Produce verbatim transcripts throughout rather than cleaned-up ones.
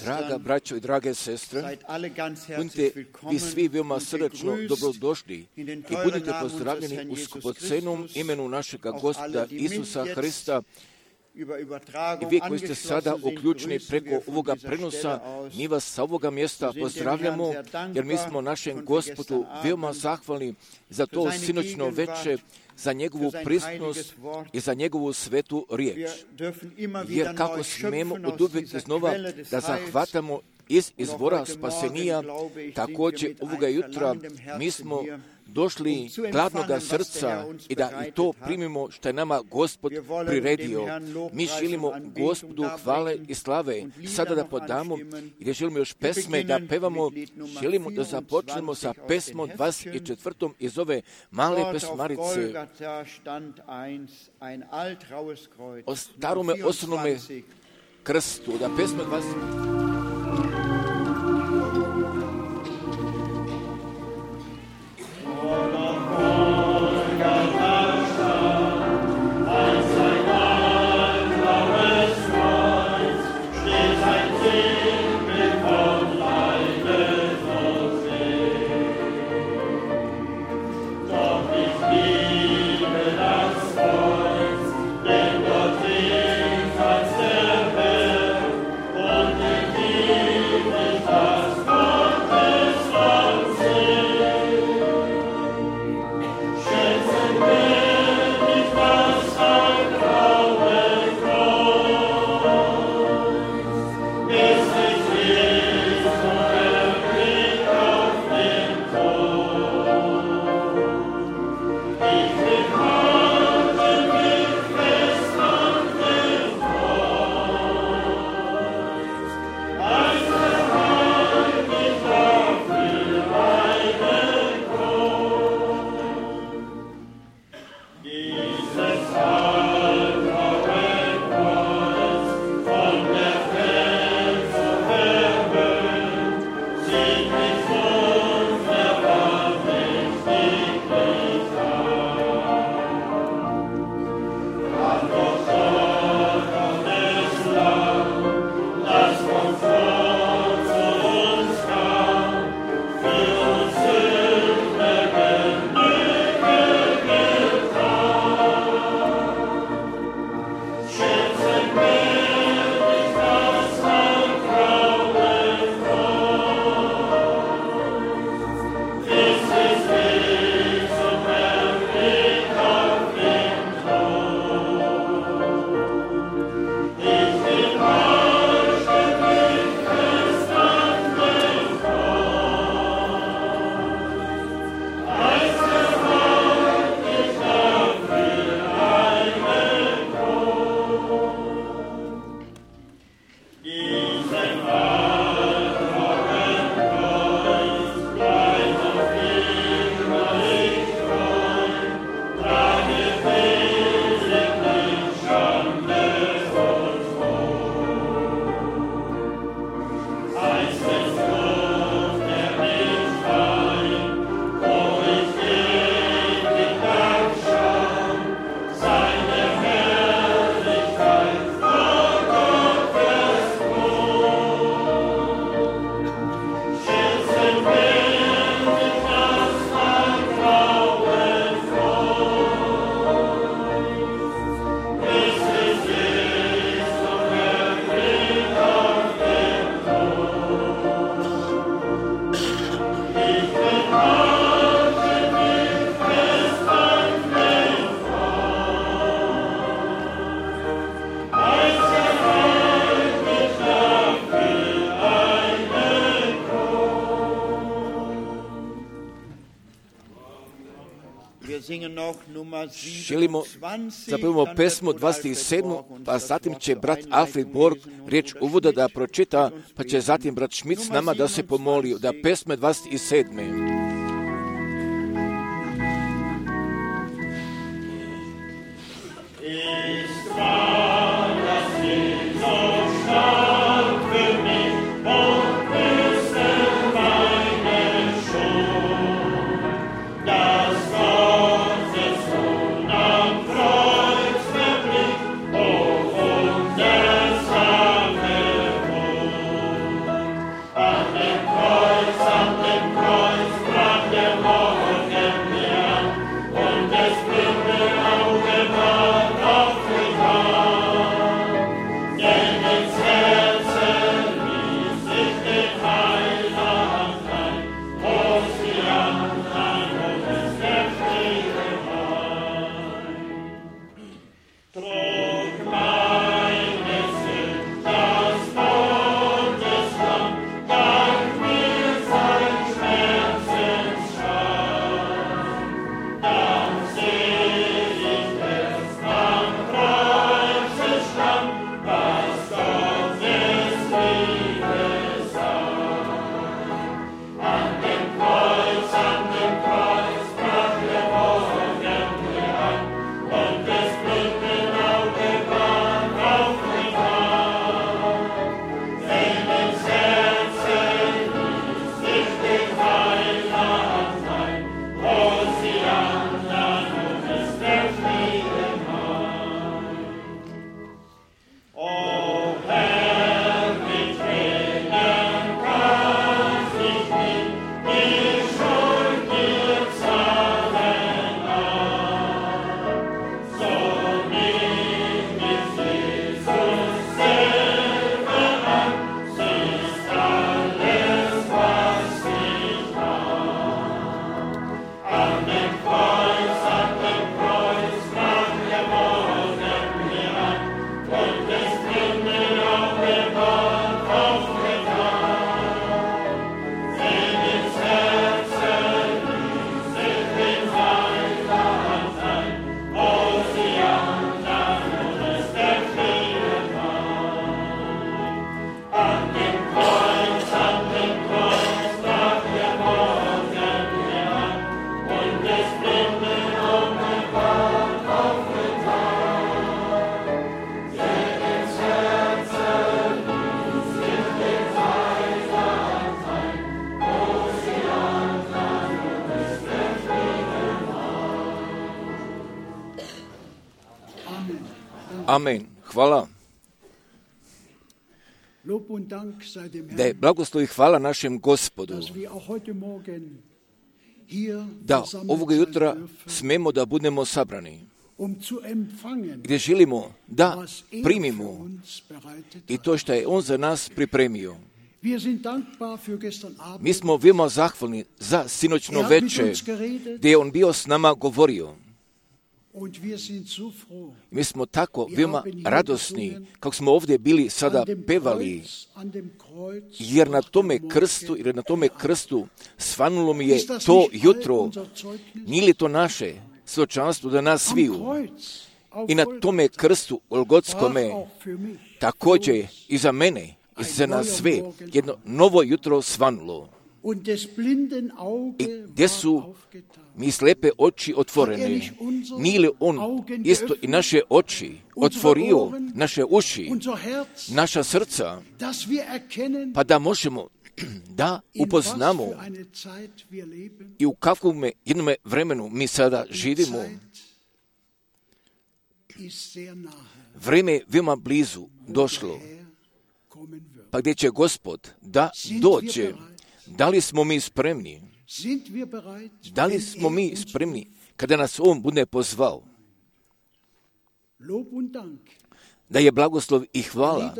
Draga braćo i drage sestre, budite vi svi veoma srdačno dobrodošli i budite pozdravljeni u skupocenom imenu našega Gospoda Isusa Hrista. I vi koji ste sada uključeni preko ovoga prenosa, mi vas sa ovoga mjesta pozdravljamo, jer mi smo našem Gospodu veoma zahvalni za to sinoćno veče, za njegovu prisutnost i za njegovu svetu riječ. Jer kako smemo oduvijek iznova da zahvatamo iz izvora spasenija, također ovoga jutra mi smo došli gladnoga srca i da i to primimo što je nama Gospod priredio. Mi želimo Gospodu hvale i slave. Sada da podamo i da želimo još pesme da pevamo, želimo da započnemo sa pesmom dvadeset četvrtom iz ove male pesmarice o starome osnovnome krstu, da pesma dvadeset želimo zapevamo pesmu dvadeset sedmu, pa zatim će brat Alfred Borg riječ uvoda da pročita, pa će zatim brat Schmidt s nama da se pomoli da pesme dvadeset sedme. Amen. Amen. Hvala. Da je blagoslov i hvala našem Gospodu, da ovoga jutra smemo da budemo sabrani, gdje želimo da primimo i to što je On za nas pripremio. Mi smo veoma zahvalni za sinoćno veče, gdje je On bio s nama govorio. Mi smo tako veoma radosni, kako smo ovdje bili sada pevali, jer na tome krstu, jer na tome krstu svanulo mi je to jutro, nije li to naše svjedočanstvo da nas sviju. I na tome krstu Golgotskome također i za mene i za nas sve jedno novo jutro svanulo. I gdje su mi slepe oči otvorene, nije li On isto i naše oči otvorio, naše uši, naša srca, pa da možemo da upoznamo i u kakvom jednom vremenu mi sada živimo. Vreme je veoma blizu došlo, pa gdje će Gospod da dođe. Da li smo mi spremni? Da li smo mi spremni kada nas On bude pozvao? Da je blagoslov i hvala,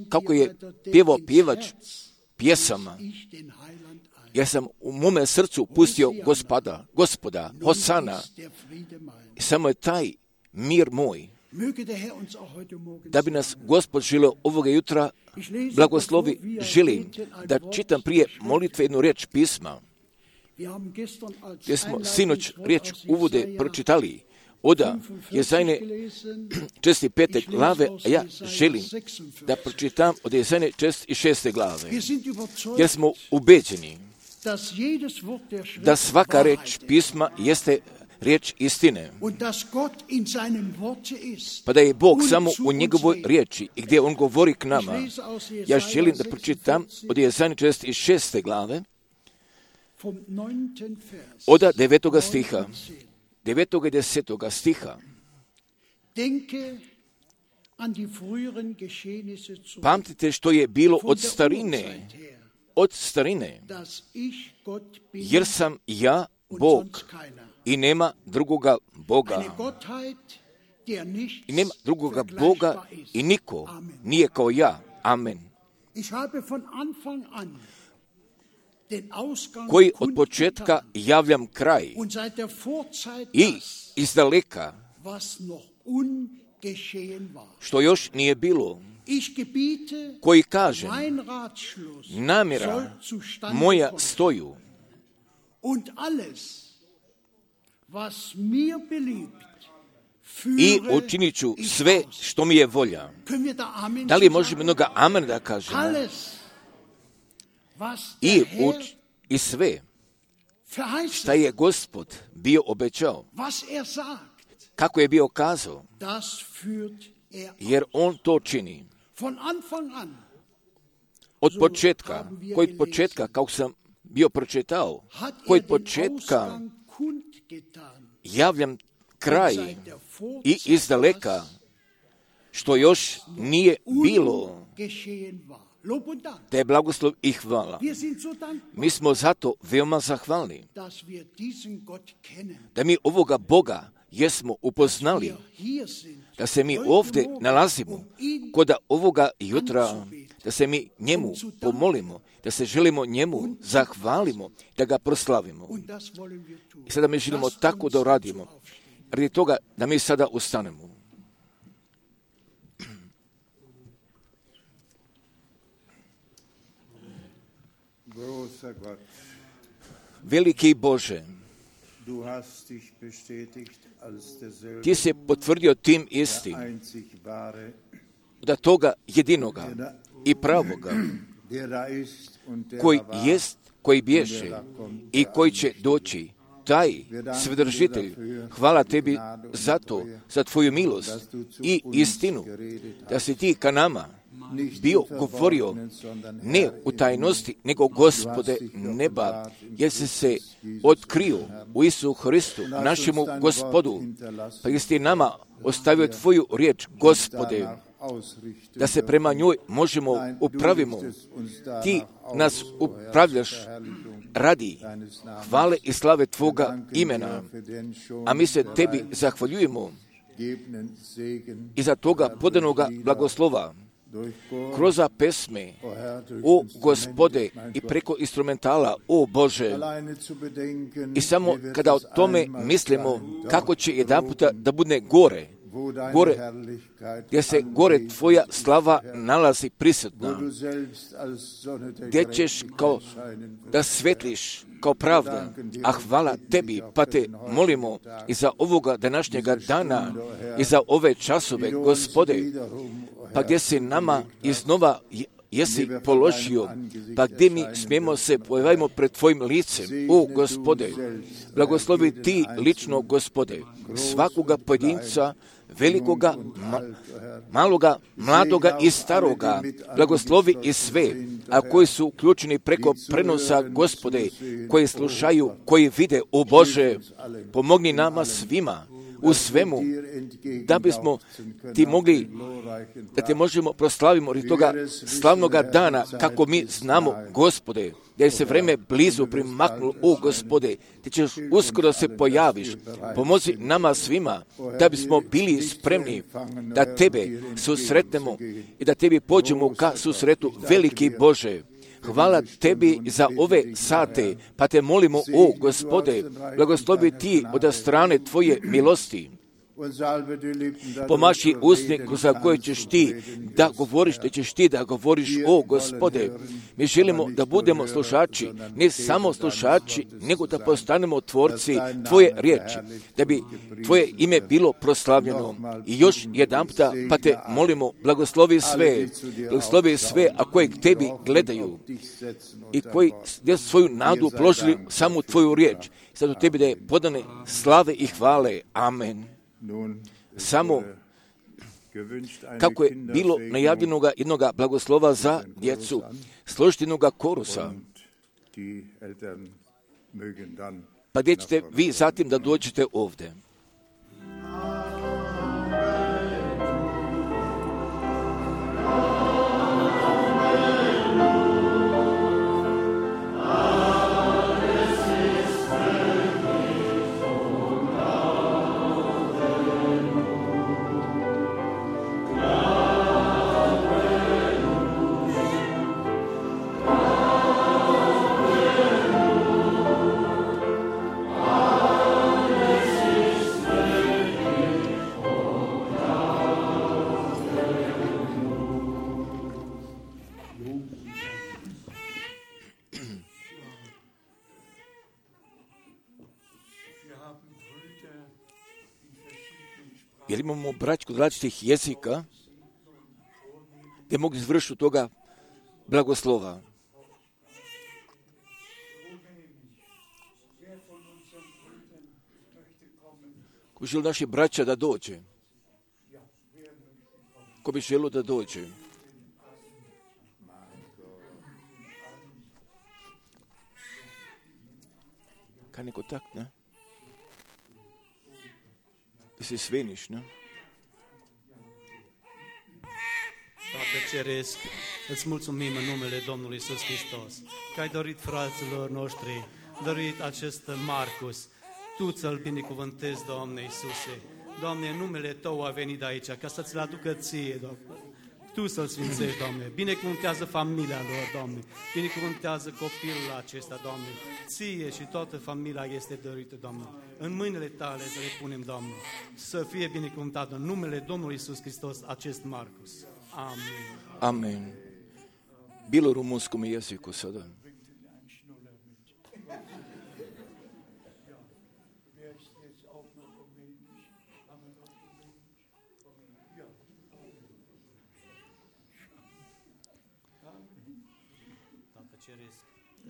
kako je pjevao pjevač pjesama. Ja sam u mome srcu pustio Gospoda, Gospoda, Hosana. I samo je taj mir moj. Da bi nas Gospod želio ovoga jutra blagoslovi, želim da čitam prije molitve jednu riječ pisma, gdje smo sinoć riječ uvode pročitali. Oda Jezajne česti pete glave, a ja želim da pročitam od Jezajne česti šeste glave, jer smo ubeđeni da svaka riječ pisma jeste riječ istine, pa da je Bog samo u njegovoj riječi i gdje On govori k nama. Ja želim da pročitam od Jezajne česti šeste glave, od devetoga stiha, devetoga i desetoga stiha. Pamtite što je bilo od starine, od starine, jer sam ja Bog i nema drugoga Boga. I nema drugoga Boga i niko nije kao ja. Amen. Koji od početka javljam kraj i izdaleka što još nije bilo, koji kažem namjera moja stoju i učinit ću sve što mi je volja. Da li možemo jednoga amen da kažemo? I, uč, i sve šta je Gospod bio obećao, kako je bio kazao, jer On to čini. Od početka, koji od početka, kako sam bio pročitao, koji od početka javljam kraj i izdaleka što još nije bilo, da je blagoslov i hvala. Mi smo zato veoma zahvalni da mi ovoga Boga jesmo upoznali, da se mi ovdje nalazimo kod ovoga jutra, da se mi njemu pomolimo, da se želimo njemu zahvalimo, da ga proslavimo. I sada mi želimo tako da uradimo, radi toga da mi sada ustanemo. Veliki Bože, Ti se potvrdio tim istim, da toga jedinoga i pravoga, koji jest, koji bješe i koji će doći, taj svedržitelj. Hvala Tebi za to, za Tvoju milost i istinu, da si Ti ka nama bio govorio ne u tajnosti, nego Gospode neba, jer si se otkrio u Isu Hristu, našemu Gospodu, pa jesi ti nama ostavio tvoju riječ, Gospode, da se prema njoj možemo upravimo. Ti nas upravljaš radi hvale i slave tvoga imena, a mi se tebi zahvaljujemo i za toga podanoga blagoslova kroz pesme, o Gospode, i preko instrumentala, o Bože. I samo kada o tome mislimo, kako će jedan puta da bude gore, gore, gdje se gore tvoja slava nalazi prisutna, gdje ćeš kao da svetliš kao pravda, a hvala tebi, pa te molimo i za ovoga današnjega dana i za ove časove, Gospode, pa gdje si nama iznova jesi položio, pa gdje mi smijemo se pojavimo pred tvojim licem, o Gospode, blagoslovi ti lično, Gospode, svakoga pojedinca, velikoga, ma, maloga, mladoga i staroga, blagoslovi i sve, a koji su uključeni preko prenosa, Gospode, koji slušaju, koji vide, o Bože, pomogni nama svima u svemu, da bismo ti mogli, da te možemo proslavimo od toga slavnoga dana, kako mi znamo, Gospode, da je se vreme blizu primaknulo, o Gospode, ti ćeš uskoro se pojaviš, pomozi nama svima, da bismo bili spremni da tebe susretnemo i da tebi pođemo ka susretu, veliki Bože. Hvala tebi za ove sate, pa te molimo, o Gospode, blagoslovi ti od strane tvoje milosti. Pomaši usne za koje ćeš ti da govoriš, da ćeš ti da govoriš, o Gospode. Mi želimo da budemo slušači, ne samo slušači, nego da postanemo tvorci tvoje riječi, da bi tvoje ime bilo proslavljeno. I još jedan puta, pa te molimo, blagoslovi sve, blagoslovi sve, a koji k tebi gledaju i koji svoju nadu položili samo u tvoju riječ. Sad u tebi da je podane slave i hvale. Amen. Samo kako je bilo najavljenoga jednoga blagoslova za djecu, složiti jednoga korusa, pa gdje ćete vi zatim da dođete ovdje. Jer imamo braću kod različitih jezika gdje mogu izvršiti toga blagoslova. Ko bi želio naši braća da dođe? Ko bi želio da dođe? Kaj ne kontakt, ne? Ti si sveniš, ne? Tată Ceresc, îți mulțumim în numele Domnului Iisus Hristos, că ai dorit fraților noștri, dorit acest Marcus, Tu ți-l binecuvântezi, Doamne Iisuse. Doamne, numele Tău a venit aici, ca să ți-l aducă Ție, Doamne. Tu să-l sfințești, Doamne. Binecuvântează familia lor, Doamne. Binecuvântează copilul acesta, Doamne. Ție și toată familia este dorită, Doamne. În mâinile Tale să le punem, Doamne. Să fie binecuvântat în numele Domnului Iisus Hristos acest Marcus. Amin. Amen. Bilo rumunskom jeziku sada.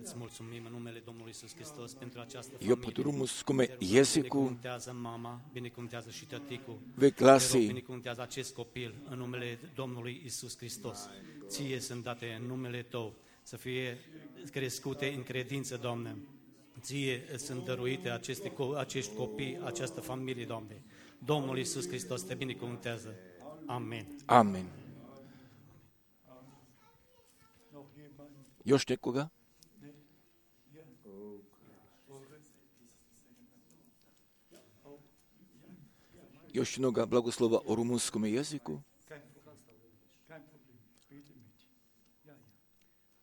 Îți mulțumim în numele Domnului Iisus Hristos pentru această I opet u rumunskome jeziku binecuvântează mama, binecuvântează și tăticul. ve glasi Binecuvântează acest copil în numele Domnului Iisus Hristos. Ție sunt date în numele Tău să fie crescute în credință, Doamne. Ție îți sunt dăruite aceste, acești copii, această familie, Doamne. Domnul Iisus Hristos te binecuvântează. Amen. Amen. Još nekoga? Još jednoga blagoslova o rumunskome jeziku?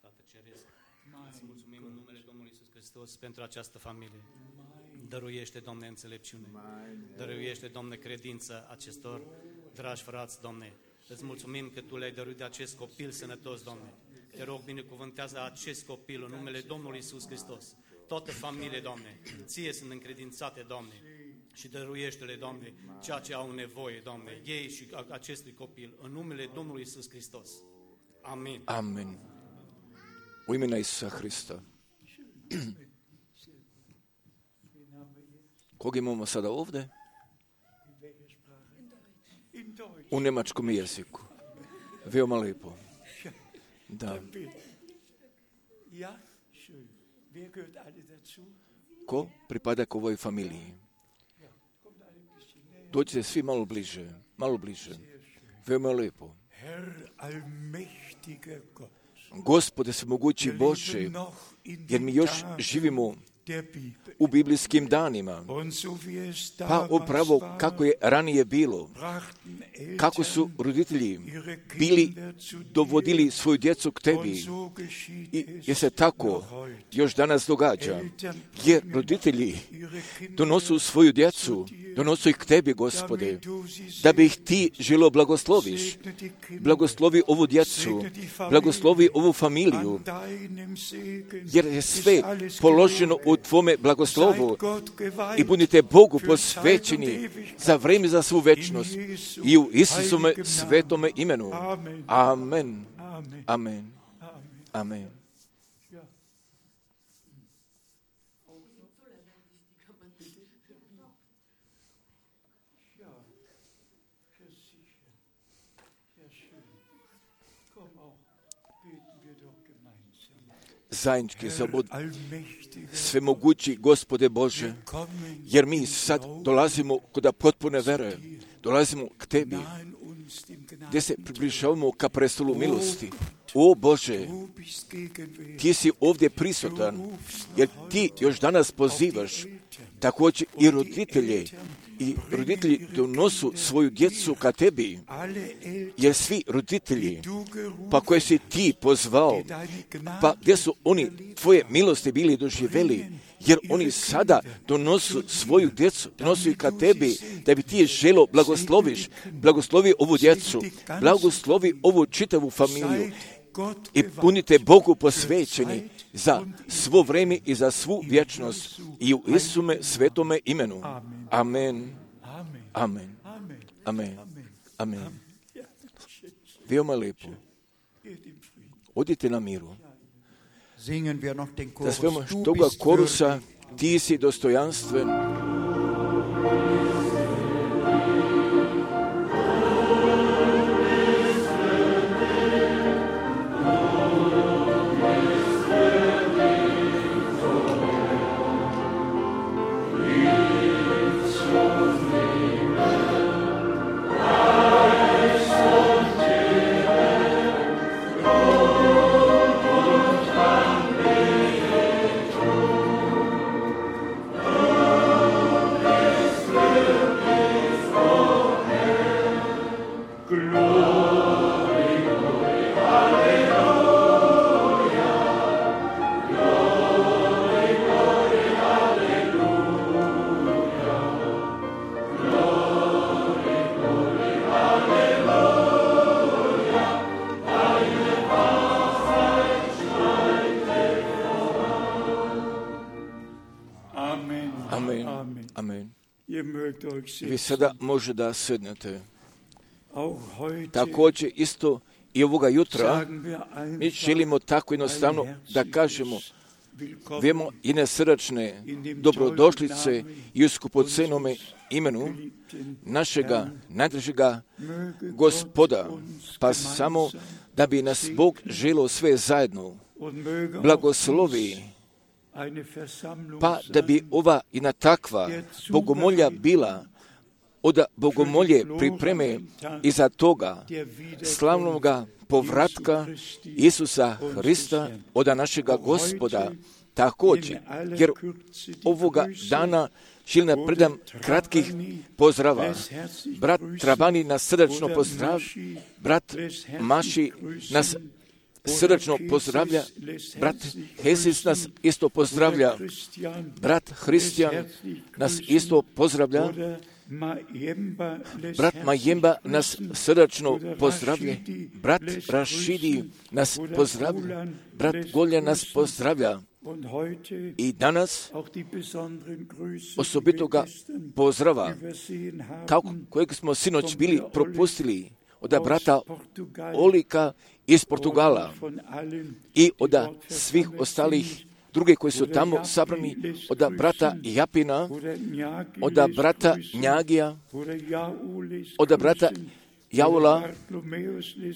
Tată Ceresc, îți mulțumim în numele Domnului Iisus Hristos pentru această familie. Dăruiește, Doamne, înțelepciune. Dăruiește, Doamne, credință acestor dragi frați, Doamne. Îți mulțumim că Tu le-ai dăruit de acest copil sănătos, Doamne. Te rog, binecuvântează acest copil în numele Domnului Iisus Hristos. Toată familie, Doamne, Ție sunt încredințate, Doamne, și dăruiește-le, Doamne, ceea ce au nevoie, Doamne, ei și acestui copil, în numele Domnului Iisus Hristos. Amin. Amen. U imena Isusa Hrista. Koga imamo sada ovdje? U njemačkom jeziku. Veoma lepo. Da. Ko pripada k ovoj familiji? Dođite svi malo bliže, malo bliže. Veoma lepo. Gospode svemogući Bože, jer mi još živimo u biblijskim danima, pa upravo kako je ranije bilo, kako su roditelji bili dovodili svoju djecu k Tebi, i jer se tako još danas događa, jer roditelji donosu svoju djecu, donosu ih k Tebi, Gospode, da bi ih Ti želio blagosloviš. Blagoslovi ovu djecu, blagoslovi ovu familiju, jer je sve položeno u Tvome blagoslovu i budite Bogu posvećeni za vrijeme, za svu večnost i u Isusome svetome imenu. Amen. Amen. Amen. Zajednički zabud, svemogući Gospode Bože, jer mi sad dolazimo kod potpune vere, dolazimo k Tebi, gdje se približavamo ka prestolu milosti. O Bože, Ti si ovdje prisutan, jer Ti još danas pozivaš također i roditelje, i roditelji donosu svoju djecu ka Tebi, jer svi roditelji, pa koje si Ti pozvao, pa gdje su oni Tvoje milosti bili doživjeli, jer oni sada donosu svoju djecu, donosu ih ka Tebi, da bi Ti je želo blagosloviš, blagoslovi ovu djecu, blagoslovi ovu čitavu familiju i punite Bogu posvećeni za svo vrijeme i za svu vječnost i u Isume svetome imenu. Amen. Amen. Amen. Amen. Veoma lepo. Odite na miru. Da svema toga korusa, Ti si dostojanstven. Vi sada može da sednete. Također isto i ovoga jutra mi želimo tako jednostavno da kažemo Vemo jedne srdačne dobrodošlice i u skupocenome imenu našega najdražega Gospoda, pa samo da bi nas Bog želio sve zajedno blagoslovi, pa da bi ova jedna takva bogomolja bila od bogomolje pripreme iza toga slavnoga povratka Isusa Hrista od našega Gospoda također, jer ovoga dana želim da predam kratkih pozdrava. Brat Trabani nas srdačno pozdravlja, brat Maši nas srdačno pozdravlja, brat Hesis nas isto pozdravlja, brat Hristijan nas isto pozdravlja, brat Majemba nas srdačno pozdravlja, brat Rašidi nas pozdravlja, brat Golja nas pozdravlja. I danas osobitoga pozdrava, kako kojeg smo sinoć bili propustili od brata Olika iz Portugala i od svih ostalih druge koji su tamo sabrani, od brata Japina, od brata Njagija, od brata Jaula,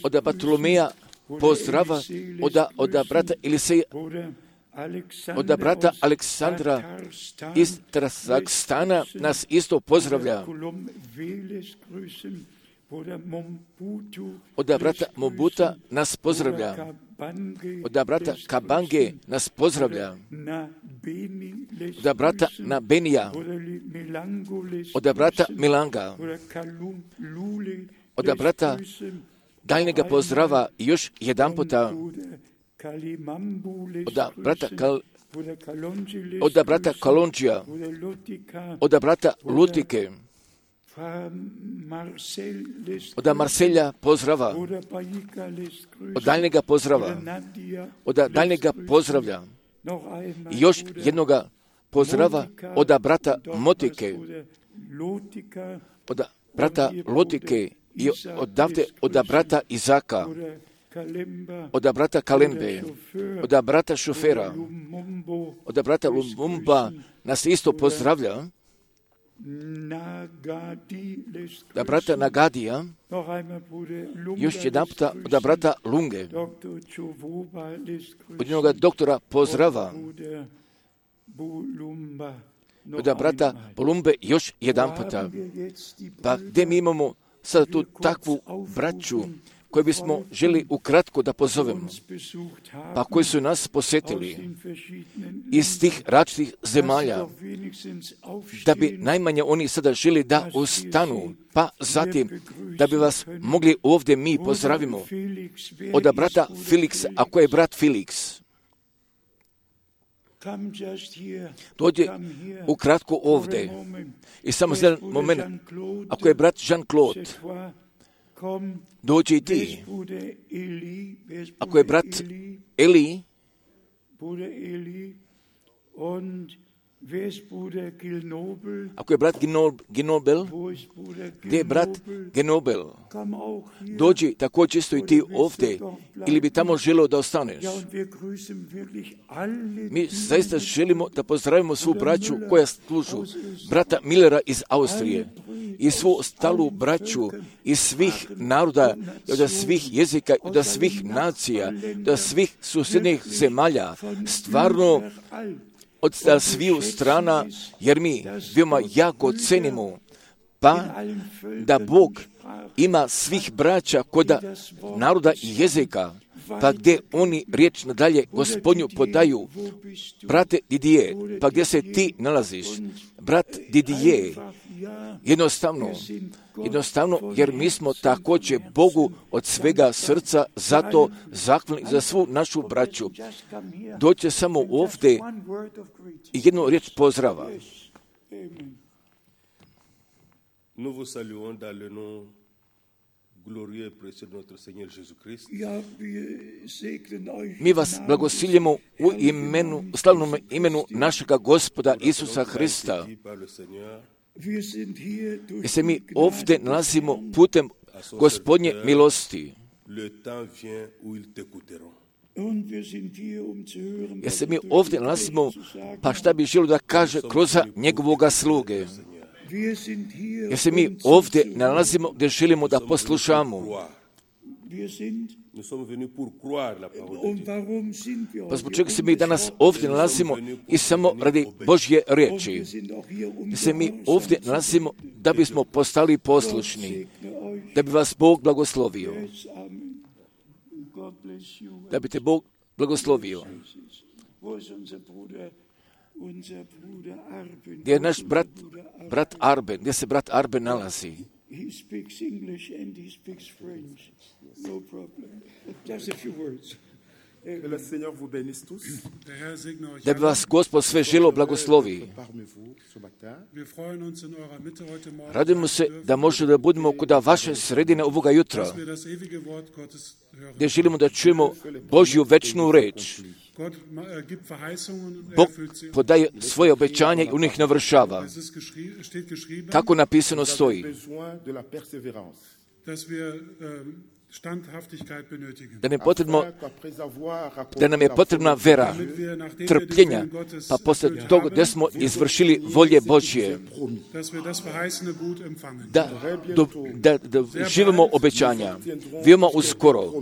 od Bartolomeja pozdrava, od, od brata Eliseja, od brata Aleksandra iz Kazahstana nas isto pozdravlja. Od brata Mobuta nas pozdravlja. Od brata Kabange nas pozdravlja. Od brata Nabenija. Od brata Milanga. Od brata daljnjega pozdrava još jedan puta. Od brata Kal, od brata Kalonđija, od brata Lutike, od Marselja pozdrava, od daljnjega pozdrava, od daljnjega pozdravlja, i još jednoga pozdrava od brata Motike, od brata Lotike i odavde od brata Izaka, od brata Kalembe, od brata Šofera, od brata Lumumba nas isto pozdravlja, od brata Nagadija, još jedan puta od brata Lunge, od jednoga doktora pozdrava, od brata Bolumbe još jedan puta. Pa gdje mi imamo sada tu takvu braću koje bismo želi ukratko da pozovemo, pa koji su nas posjetili iz tih različitih zemalja, da bi najmanje oni sada želi da ustanu, pa zatim da bi vas mogli ovdje mi pozdravimo od brata Felixa, ako je brat Felix. Dođe ukratko ovdje i samo za jedan moment, ako je brat Jean-Claude, dođi i ti. Ako je brat Eli, ako je brat Ginobel, gdje je brat Ginobel? Dođi također isto i ti ovdje, ili bi tamo želio da ostaneš. Mi zaista želimo da pozdravimo svu braću koja služu, brata Millera iz Austrije i svu ostalu braću iz svih naroda, od svih jezika, od svih nacija, od svih susjednih zemalja. Stvarno, od sviju strana, jer mi veoma jako cenimo, pa da Bog ima svih braća kod naroda i jezika, pa gdje oni riječ nadalje Gospodnju podaju. Brate Didije, pa gdje se ti nalaziš? Brat Didije, jednostavno, jednostavno, jer mi smo također Bogu od svega srca zato zahvalni za svu našu braću. Dođe samo ovdje i jednu riječ pozdrava. Nous vous saluons dans le nom glorieux et précieux de notre Seigneur Jésus-Christ. Mi vas blagosiljemo u imenu, slavnom imenu našega Gospoda Isusa Hrista. I se mi ovdje nalazimo putem Gospodnje milosti. Jer se mi ovdje nalazimo, pa šta bi želio da kaže kroz njegovoga sluge. Jer se mi ovdje nalazimo gdje želimo da poslušamo. Pa zbog čega se mi danas ovdje nalazimo i samo radi Božje riječi. Jer se mi ovdje nalazimo da bismo postali poslušni, da bi vas Bog blagoslovio. Da bi te Bog blagoslovio. Gdje je naš brat, brat Arben, gdje se brat Arben nalazi? Da bi vas Gospod sve želo blagoslovi. Radimo se da možemo da budemo kod vaše sredine ovoga jutra, gdje želimo da čujemo Božju večnu reč. Bog podaje svoje obećanje i u njih navršava. Kako napisano stoji. Da, ne potrebno, da nam je potrebna vera, trpljenja, pa poslije toga da smo izvršili volje Božje, da, do, da, da živimo obećanja, veoma uskoro.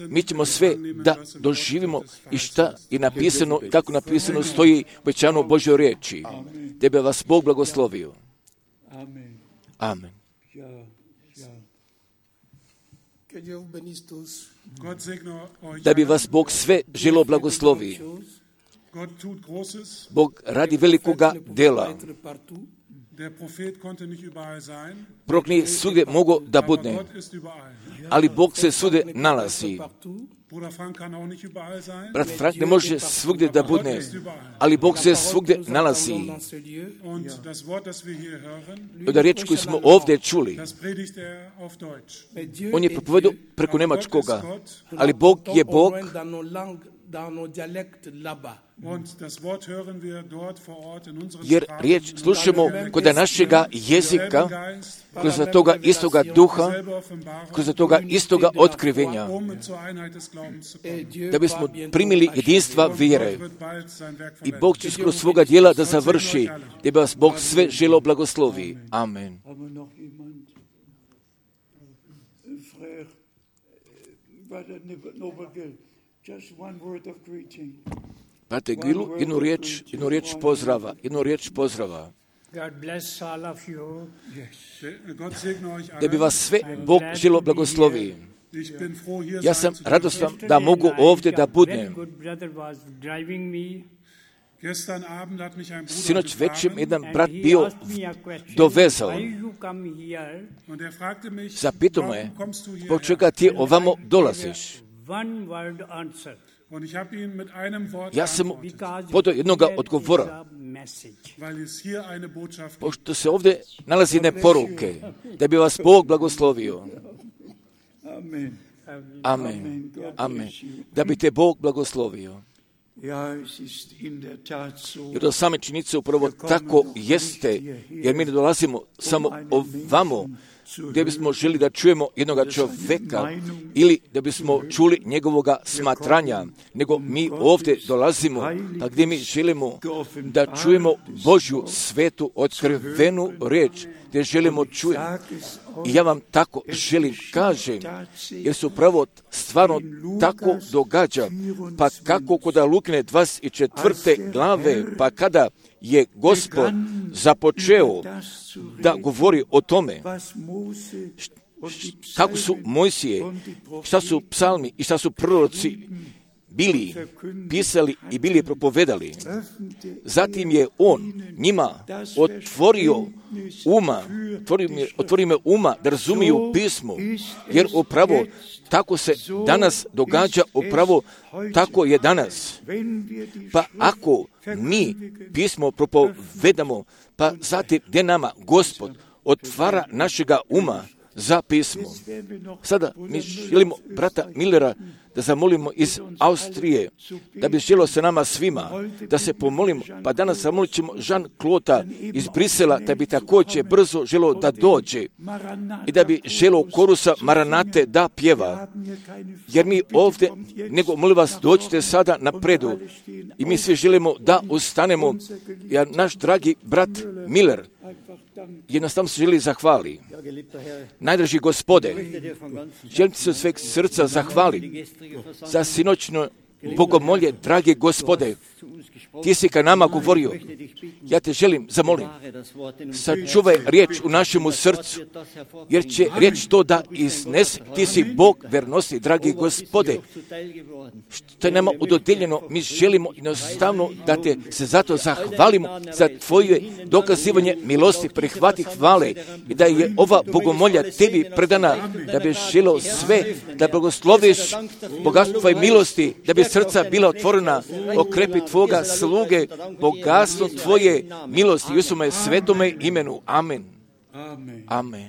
Mi ćemo sve da doživimo i šta je napisano, kako napisano stoji obećano u Božjoj riječi. Da bi vas Bog blagoslovio. Amen. Da bi vas Bog sve želo blagoslovi. Bog radi velikoga dela. Prorok nije svugdje mogao da bude, ali Bog se svugdje nalazi. Brat Frank ne može svugdje da bude, ali Bog se svugdje nalazi. Od riječ koju smo ovdje čuli, on je propovedao preko nemačkoga, ali Bog je Bog, jer riječ slušamo kod našega jezika, kroz toga istoga duha, kroz toga istoga otkrivenja, da bismo primili jedinstva vjere. I Bog će skroz svoga djela da završi, da bi vas Bog sve želo blagoslovi. Amen. Brate Gilu, jednu riječ, jednu riječ pozdrava, jednu riječ pozdrava. Da bi vas sve Bog želo blagoslovi. Ja sam radostan da mogu ovdje da budem. Sinoć večer jedan brat bio dovezao. Zapitao me, zbog čega ti ovamo dolaziš? Ja sam podao jednoga odgovora, pošto se ovdje nalazi jedne poruke, da bi vas Bog blagoslovio. Amen. Amen. Da bi te Bog blagoslovio. Jer do same činjenice upravo tako jeste, jer mi ne dolazimo samo ovamo, gdje bismo želi da čujemo jednoga čovjeka ili da bismo čuli njegovoga smatranja, nego mi ovdje dolazimo, pa gdje mi želimo da čujemo Božju svetu otkrivenu riječ, gdje želimo čujemo. I ja vam tako želim kažem, jer se upravo stvarno tako događa, pa kako kod Lukine dvadeset četvrte glave, pa kada je Gospod započeo da govori o tome, kako su Mojsije, šta su psalmi i šta su proroci bili pisali i bili propovedali. Zatim je on njima otvorio uma, otvorio me, otvorio me uma da razumiju pismo, jer upravo tako se danas događa, upravo tako je danas. Pa ako mi pismo propovedamo, pa zatim gdje nama Gospod otvara našega uma za pismo. Sada mi želimo brata Millera da zamolimo iz Austrije, da bi želio sa nama svima, da se pomolimo, pa danas zamolit ćemo Jean-Claude iz Brisela, da bi također brzo želio da dođe i da bi želio korusa Maranate da pjeva. Jer mi ovdje, nego molim vas, dođite sada napredu i mi svi želimo da ustanemo, jer naš dragi brat Miller jednostavno se želi zahvali. Najdraži Gospode, želim ti se od sveg srca zahvali za sinoćno bogomolje, dragi Gospode. Ti si ka nama govorio. Ja te želim, zamolim, sačuvaj riječ u našemu srcu, jer će riječ to da iznes. Ti si Bog vernosti, dragi Gospode. Što je nama udodijeljeno, mi želimo jednostavno da te se zato zahvalimo za tvoje dokazivanje milosti, prihvati hvale i da je ova bogomolja tebi predana, da bi želio sve, da blagosloviš bogatstvo tvoje milosti, da bi srca bila otvorena, okrepi tvoga sluge, bogatstvo tvoje milosti, u svome svetome imenu. Amen. Amen. Amen.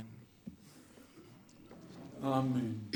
Amen.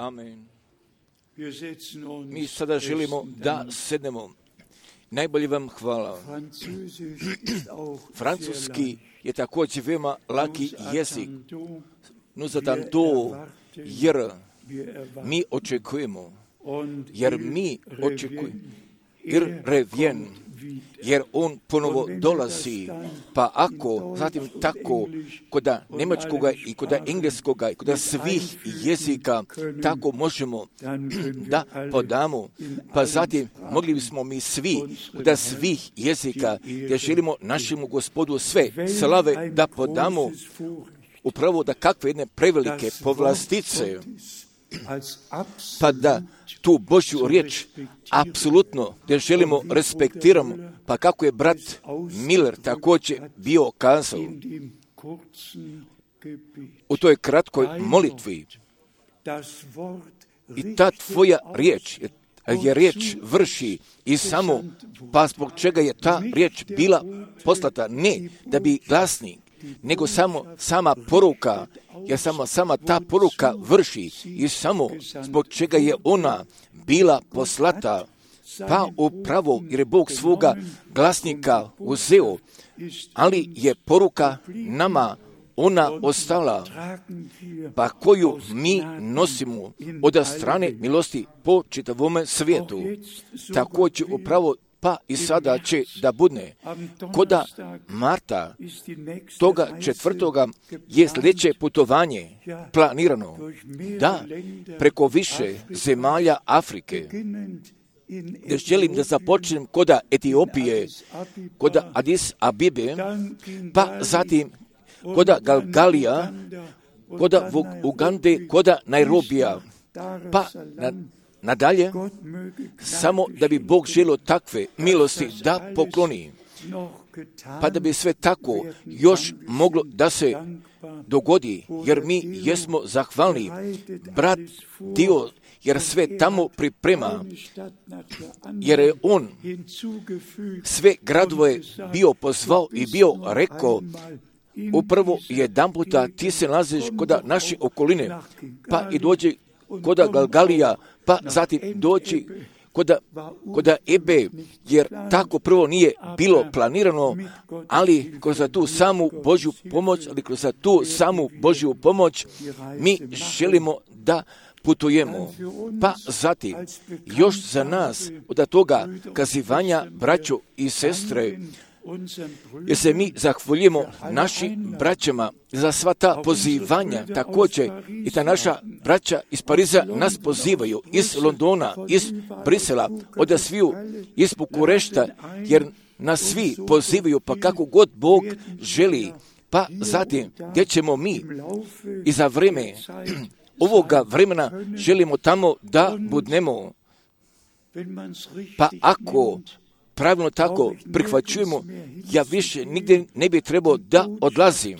Amen. Mi sada želimo da sednemo. Najbolje vam hvala. Francuski je također veoma laki jezik. Nous attendons, jer mi očekujemo, jer mi očekujemo, ir revjen, jer on ponovo dolazi, pa ako, zatim tako, kod njemačkoga i kod engleskoga i kod svih jezika, tako možemo da podamo, pa zatim mogli bismo mi svi, kod svih jezika, gdje želimo našemu Gospodu sve slave da podamo, upravo da kakve jedne prevelike povlastice, pa da tu Božju riječ apsolutno ne želimo respektiramo, pa kako je brat Miller također bio kazao u toj kratkoj molitvi, i ta tvoja riječ je riječ vrši i samo, pa zbog čega je ta riječ bila poslata, ne da bi glasnik, nego samo sama poruka, jer samo sama ta poruka vrši i samo zbog čega je ona bila poslata, pa upravo jer je Bog svoga glasnika uzeo, ali je poruka nama ona ostala, pa koju mi nosimo od strane milosti po čitavome svijetu. Također upravo pa i sada će da budne. Koda Marta toga četvrtoga je sljedeće putovanje planirano, da preko više zemalja Afrike, gdje želim da započnem koda Etiopije, koda Adis Abibe, pa zatim koda Galgalija, koda Ugande, koda Nairobija, pa na, nadalje, samo da bi Bog želio takve milosti da pokloni, pa da bi sve tako još moglo da se dogodi, jer mi jesmo zahvalni, brat Dio, jer sve tamo priprema, jer je on sve gradove bio pozvao i bio rekao, upravo jedan puta ti se nalaziš kod naše okoline, pa i dođe kod Galgalija, pa zatim doći kod, kod Ebe, jer tako prvo nije bilo planirano, ali kroz tu samu Božju pomoć, ali kroz tu samu Božju pomoć mi želimo da putujemo. Pa zatim, još za nas od toga kazivanja, braćo i sestre, jer se mi zahvaljujemo našim braćama za sva ta pozivanja, također i ta naša braća iz Pariza nas pozivaju, iz Londona, iz Brisela, od sviju, iz Bukurešta, jer nas svi pozivaju, pa kako god Bog želi, pa zatim gdje ćemo mi i za vrijeme ovoga vremena želimo tamo da budnemo, pa ako pravilno tako prihvaćujemo, ja više nigdje ne bi trebao da odlazim.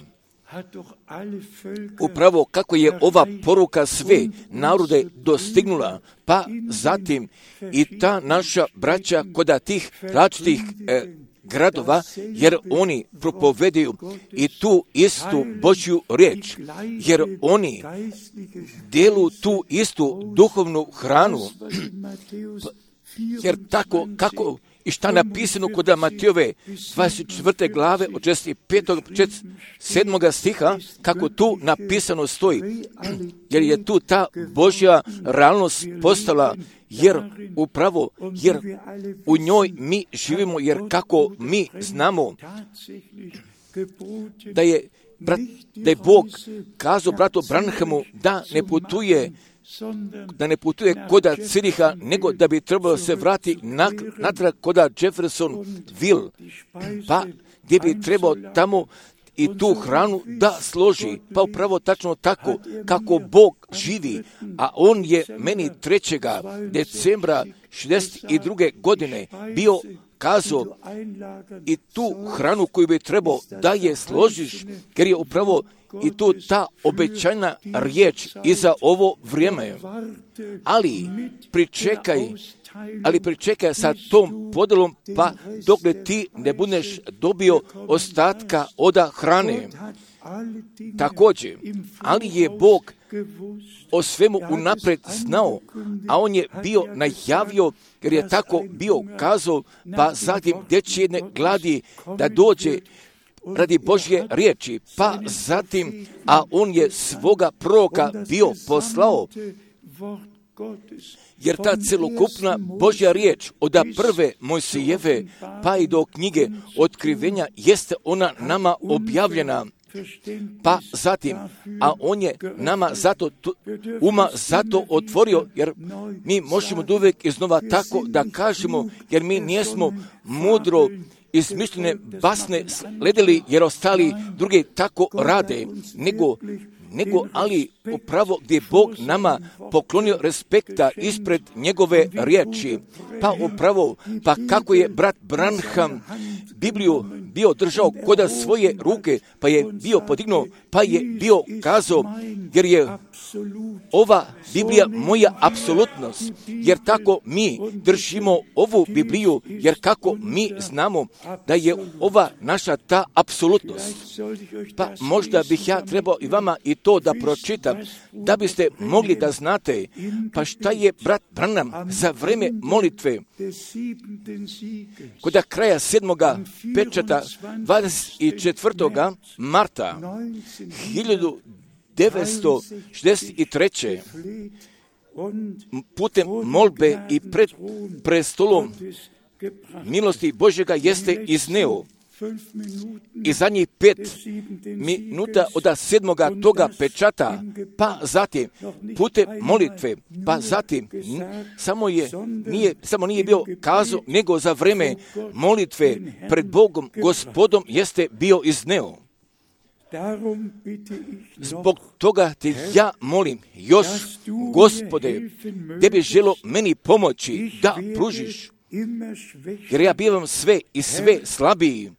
Upravo kako je ova poruka sve narode dostignula, pa zatim i ta naša braća kod tih različitih e, gradova, jer oni propovedaju i tu istu Božju riječ, jer oni delu tu istu duhovnu hranu, jer tako kako i šta napisano kod Matijove dvadeset četvrte glave od šezdeset petog sedmog stiha, kako tu napisano stoji, jer je tu ta Božja realnost postala, jer upravo, jer u njoj mi živimo, jer kako mi znamo da je, brat, da je Bog kazao bratu Branhamu da ne putuje da ne putuje koda Ciriha, nego da bi trebalo se vrati natrag koda Jeffersonville, pa gdje bi trebao tamo i tu hranu da složi, pa upravo tačno tako kako Bog živi, a on je meni trećega decembra šezdeset druge godine bio kazao i tu hranu koju bi trebao da je složiš, jer je upravo i tu ta obećajna riječ i za ovo vrijeme. Ali pričekaj, ali pričekaj sa tom podelom, pa dokle ti ne budeš dobio ostatka od hrane. Također, ali je Bog o svemu unaprijed znao, a on je bio najavio, jer je tako bio kazao, pa zatim gdje će jedne gladi da dođe radi Božje riječi, pa zatim, a on je svoga proroka bio poslao, Jer ta celokupna Božja riječ od prve Mojsijeve pa i do knjige Otkrivenja jeste ona nama objavljena. Pa zatim, a on je nama zato uma zato otvorio, jer mi možemo da uvijek iznova tako da kažemo, jer mi nijesmo mudro izmišljene basne sledili, jer ostali drugi tako rade, nego nego ali upravo gdje Bog nama poklonio respekta ispred njegove riječi. Pa upravo, pa kako je brat Branham Bibliju bio držao koda svoje ruke, pa je bio podignuo, pa je bio kazao, jer je ova Biblija moja apsolutnost, jer tako mi držimo ovu Bibliju, jer kako mi znamo da je ova naša ta apsolutnost. Pa možda bih ja trebao i vama i to da pročitam, da biste mogli da znate, pa šta je brat Branham za vreme molitve, kod kraja sedmoga pečata dvadeset četvrtoga marta hiljadu devetsto šezdeset treće putem molbe i pred prestolom milosti Božjega jeste izneo. I zadnjih pet minuta od sedmoga toga pečata, pa zatim putem molitve, pa zatim samo je nije samo nije bio kazao, nego za vreme molitve pred Bogom Gospodom jeste bio izneo. Zbog toga te ja molim još, Gospode, gdje bi želo meni pomoći da pružiš, jer ja bivam sve i sve slabiji.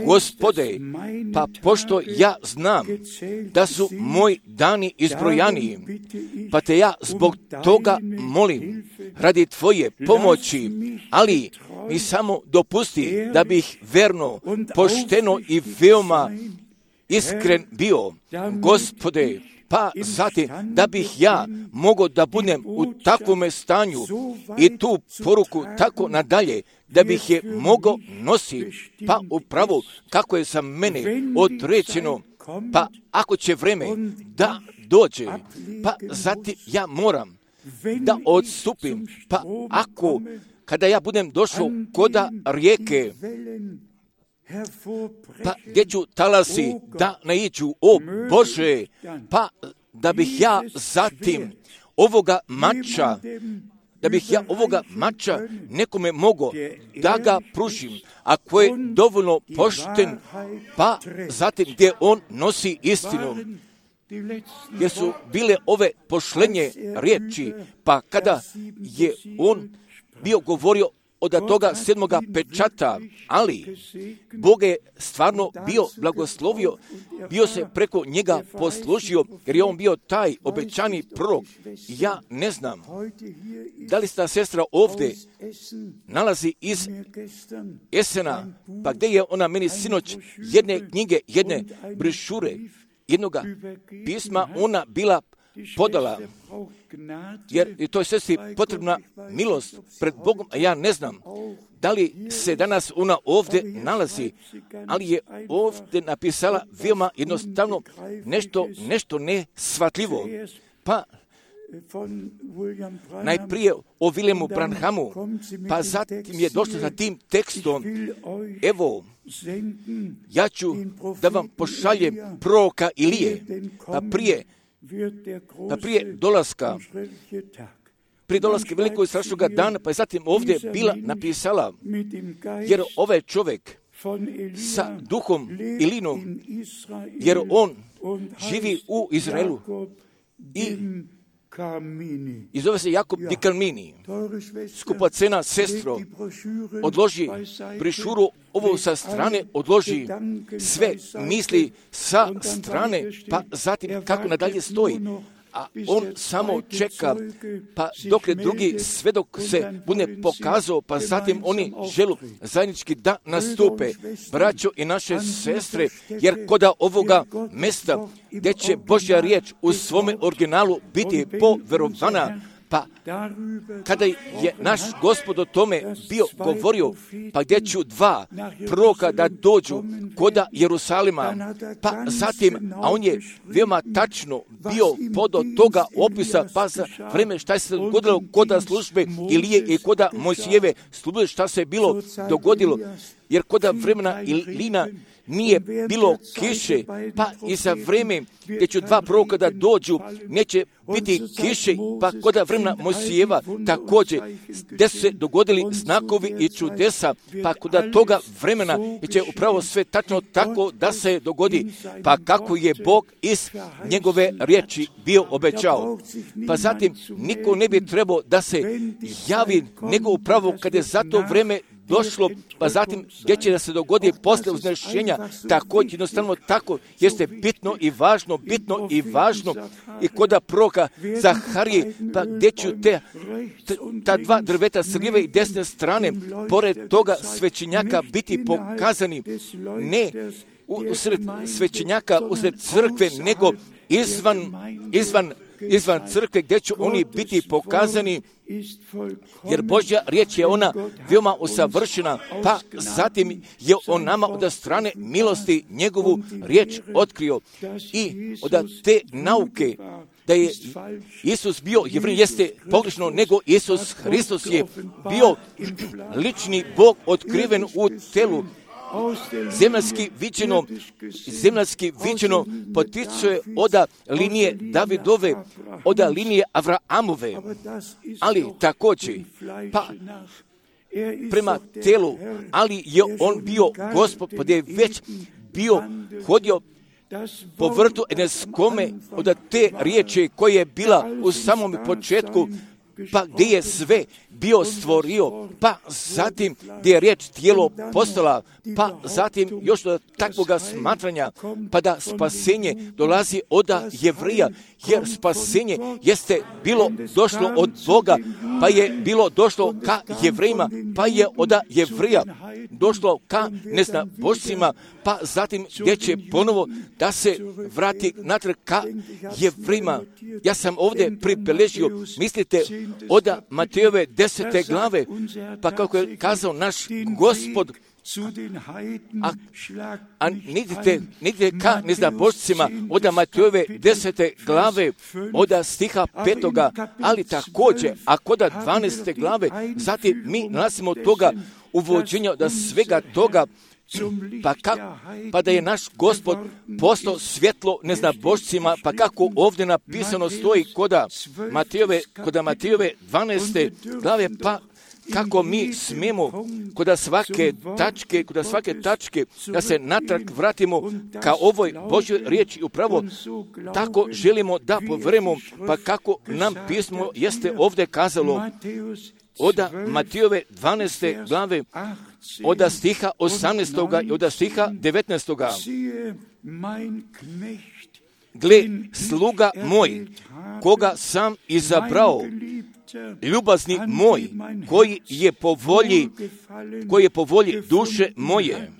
Gospode, pa pošto ja znam da su moji dani izbrojaniji, pa te ja zbog toga molim radi Tvoje pomoći, ali mi samo dopusti da bih verno, pošteno i veoma iskren bio, Gospode, pa zatim da bih ja mogao da budem u takvome stanju i tu poruku tako nadalje, da bih je mogao nositi, pa upravo kako je za mene određeno, pa ako će vreme da dođe, pa zatim ja moram da odstupim, pa ako kada ja budem došao koda rijeke, pa gdje ću talasi da naiđu, o Bože, pa da bih ja zatim ovoga mača, da bih ja ovoga mača nekome mogao da ga pružim, ako je dovoljno pošten, pa zatim gdje on nosi istinu. Jer su bile ove pošlenje riječi, pa kada je on bio govorio od toga sedmoga pečata, ali Bog je stvarno bio blagoslovio, bio se preko njega poslužio, jer je on bio taj obećani prorok. Ja ne znam, da li sta sestra ovdje nalazi iz Esena, pa gdje je ona meni sinoć jedne knjige, jedne brošure, jednoga pisma ona bila podala, jer je toj sestri potrebna milost pred Bogom, a ja ne znam da li se danas ona ovdje nalazi, ali je ovdje napisala veoma jednostavno nešto, nešto neshvatljivo. Pa najprije o Williamu Branhamu, pa zatim je došlo za tim tekstom, evo, ja ću da vam pošaljem proroka Ilije, pa prije pa prije dolaska, prije dolaska velikog i strašnog dana, pa je zatim ovdje bila napisala, jer ovaj čovjek sa duhom Ilinom, jer on živi u Izraelu i i zove se Jakob di Karmini. Skupocena sestro, odloži brošuru ovo sa strane, odloži sve misli sa strane, pa zatim kako nadalje stoji. A on samo čeka, pa dok je drugi svedok se bude pokazao, pa zatim oni želu zajednički da nastupe. Braćo i naše sestre, jer koda ovoga mesta gdje će Božja riječ u svome originalu biti poverovana, Pa kada je naš Gospod o tome bio govorio, pa gdje ću dva proroka da dođu koda Jerusalima, pa zatim, a on je veoma tačno bio podo toga opisa, pa za vreme šta se dogodilo koda službe Ilije i koda Mojsijeve službe, šta se je bilo dogodilo, jer koda vremena Ilina nije bilo kiše, pa i za vreme gdje će dva proroka da dođu, neće biti kiše, pa koda vremena Mojsijeva također, gdje su se dogodili znakovi i čudesa, pa koda toga vremena će upravo sve tačno tako da se dogodi, pa kako je Bog iz njegove riječi bio obećao. Pa zatim niko ne bi trebao da se javi, nego upravo kada je za to vreme došlo, pa zatim gdje će da se dogodi posle uznešenja, također jednostavno tako jeste bitno i važno, bitno i važno i koda proroka Zaharije, pa gdje ću te, ta dva drveta s lijeve i desne strane, pored toga svećenjaka biti pokazani, ne usred svećenjaka, usred crkve, nego izvan, izvan izvan crkve gdje će oni biti pokazani, jer Božja riječ je ona veoma usavršena, pa zatim je on nama od strane milosti njegovu riječ otkrio i od te nauke da je Isus bio Jevrej jeste pogrešno, nego Isus Hristos je bio lični Bog otkriven u telu. Zemljski viđeno, zemljski viđeno potiče oda linije Davidove, oda linije Avraamove, ali također, pa prema telu, ali je on bio Gospod, pa je već bio hodio po vrtu Eneskome od te riječi koja je bila u samom početku, pa gdje je sve bio stvorio, pa zatim gdje je riječ tijelo postala, pa zatim još do takvoga smatranja, pa da spasenje dolazi od Jevrija, jer spasenje jeste bilo došlo od Boga, pa je bilo došlo ka Jevrejima, pa je od Jevrija došlo ka neznabošcima, pa zatim gdje će ponovo da se vrati natrag ka Jevrejima. Ja sam ovdje pribeležio, mislite, od Matejove desete glave, pa kako je kazao naš Gospod, a, a nidite, nidite ka neznabošcima od Matejove desete glave, od stiha petoga, ali također, a kod dvaneste glave, zatim mi nalazimo toga uvođenja da svega toga, pa, kak, pa da je naš Gospod postao svjetlo neznabošcima, pa kako ovdje napisano stoji koda Matejove, koda Matejove dvaneste glave, pa kako mi smemo koda svake tačke, koda svake tačke da se natrag vratimo ka ovoj Božjoj riječi, upravo tako želimo da poverujemo, pa kako nam pismo jeste ovdje kazalo od Matejove dvaneste glave, od stiha osamnaestoga i od stiha devetnaestoga. Gle, sluga moj, koga sam izabrao, ljubazni moj, koji je po volji, koji je po volji duše moje.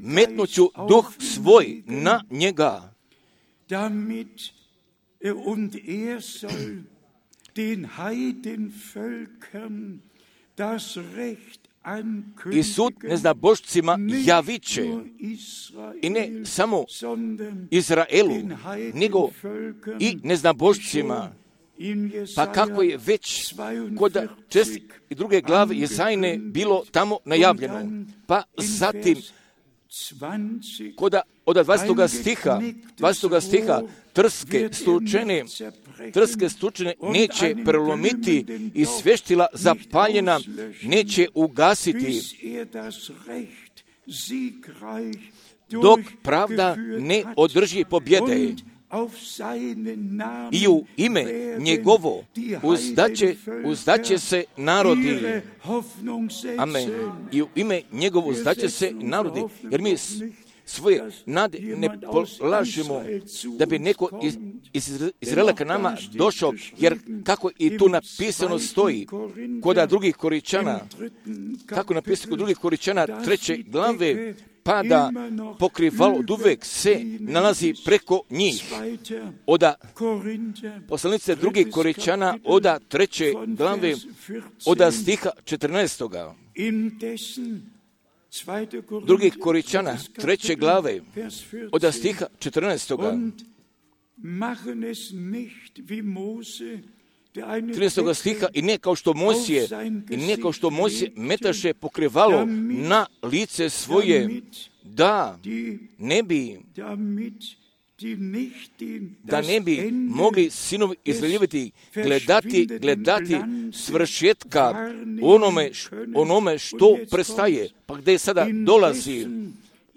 Metnuću duh svoj na njega, den Heidenvölkern das Recht i sud neznabošcima javiće, i ne samo Izraelu, nego i neznabošcima. Pa kako je već kod čest i druge glave Jezajne bilo tamo najavljeno. Pa zatim koda od dvadestog stiha, dvadestog stiha, trske stučene, trske stučene neće prelomiti i sveštila zapaljena neće ugasiti, dok pravda ne održi pobjede. I u ime njegovo uzdaće, uzdaće se narodi. Amen. I u ime njegovo uzdaće se narodi. Jer mi svoje nade ne polažemo da bi neko iz, iz Izraela ka nama došao, jer kako i tu napisano stoji kod drugih Koričana, kako napisano kod drugih Koričana treće glave, pada pokrivalo od uvek se nalazi preko njih. Oda poslanice drugih Korinčana, oda treće glave, oda stiha četrnaestoga. Drugih Korinčana, treće glave, oda stiha četrnaestoga. trinaestoga stiha, i ne kao što Mojsije, i ne kao što Mojsije metaše pokrivalo na lice svoje, da ne bi da ne bi mogli sinovi Izraeljeviti gledati, gledati svršetka onome, onome što prestaje, pa gdje sada dolazi,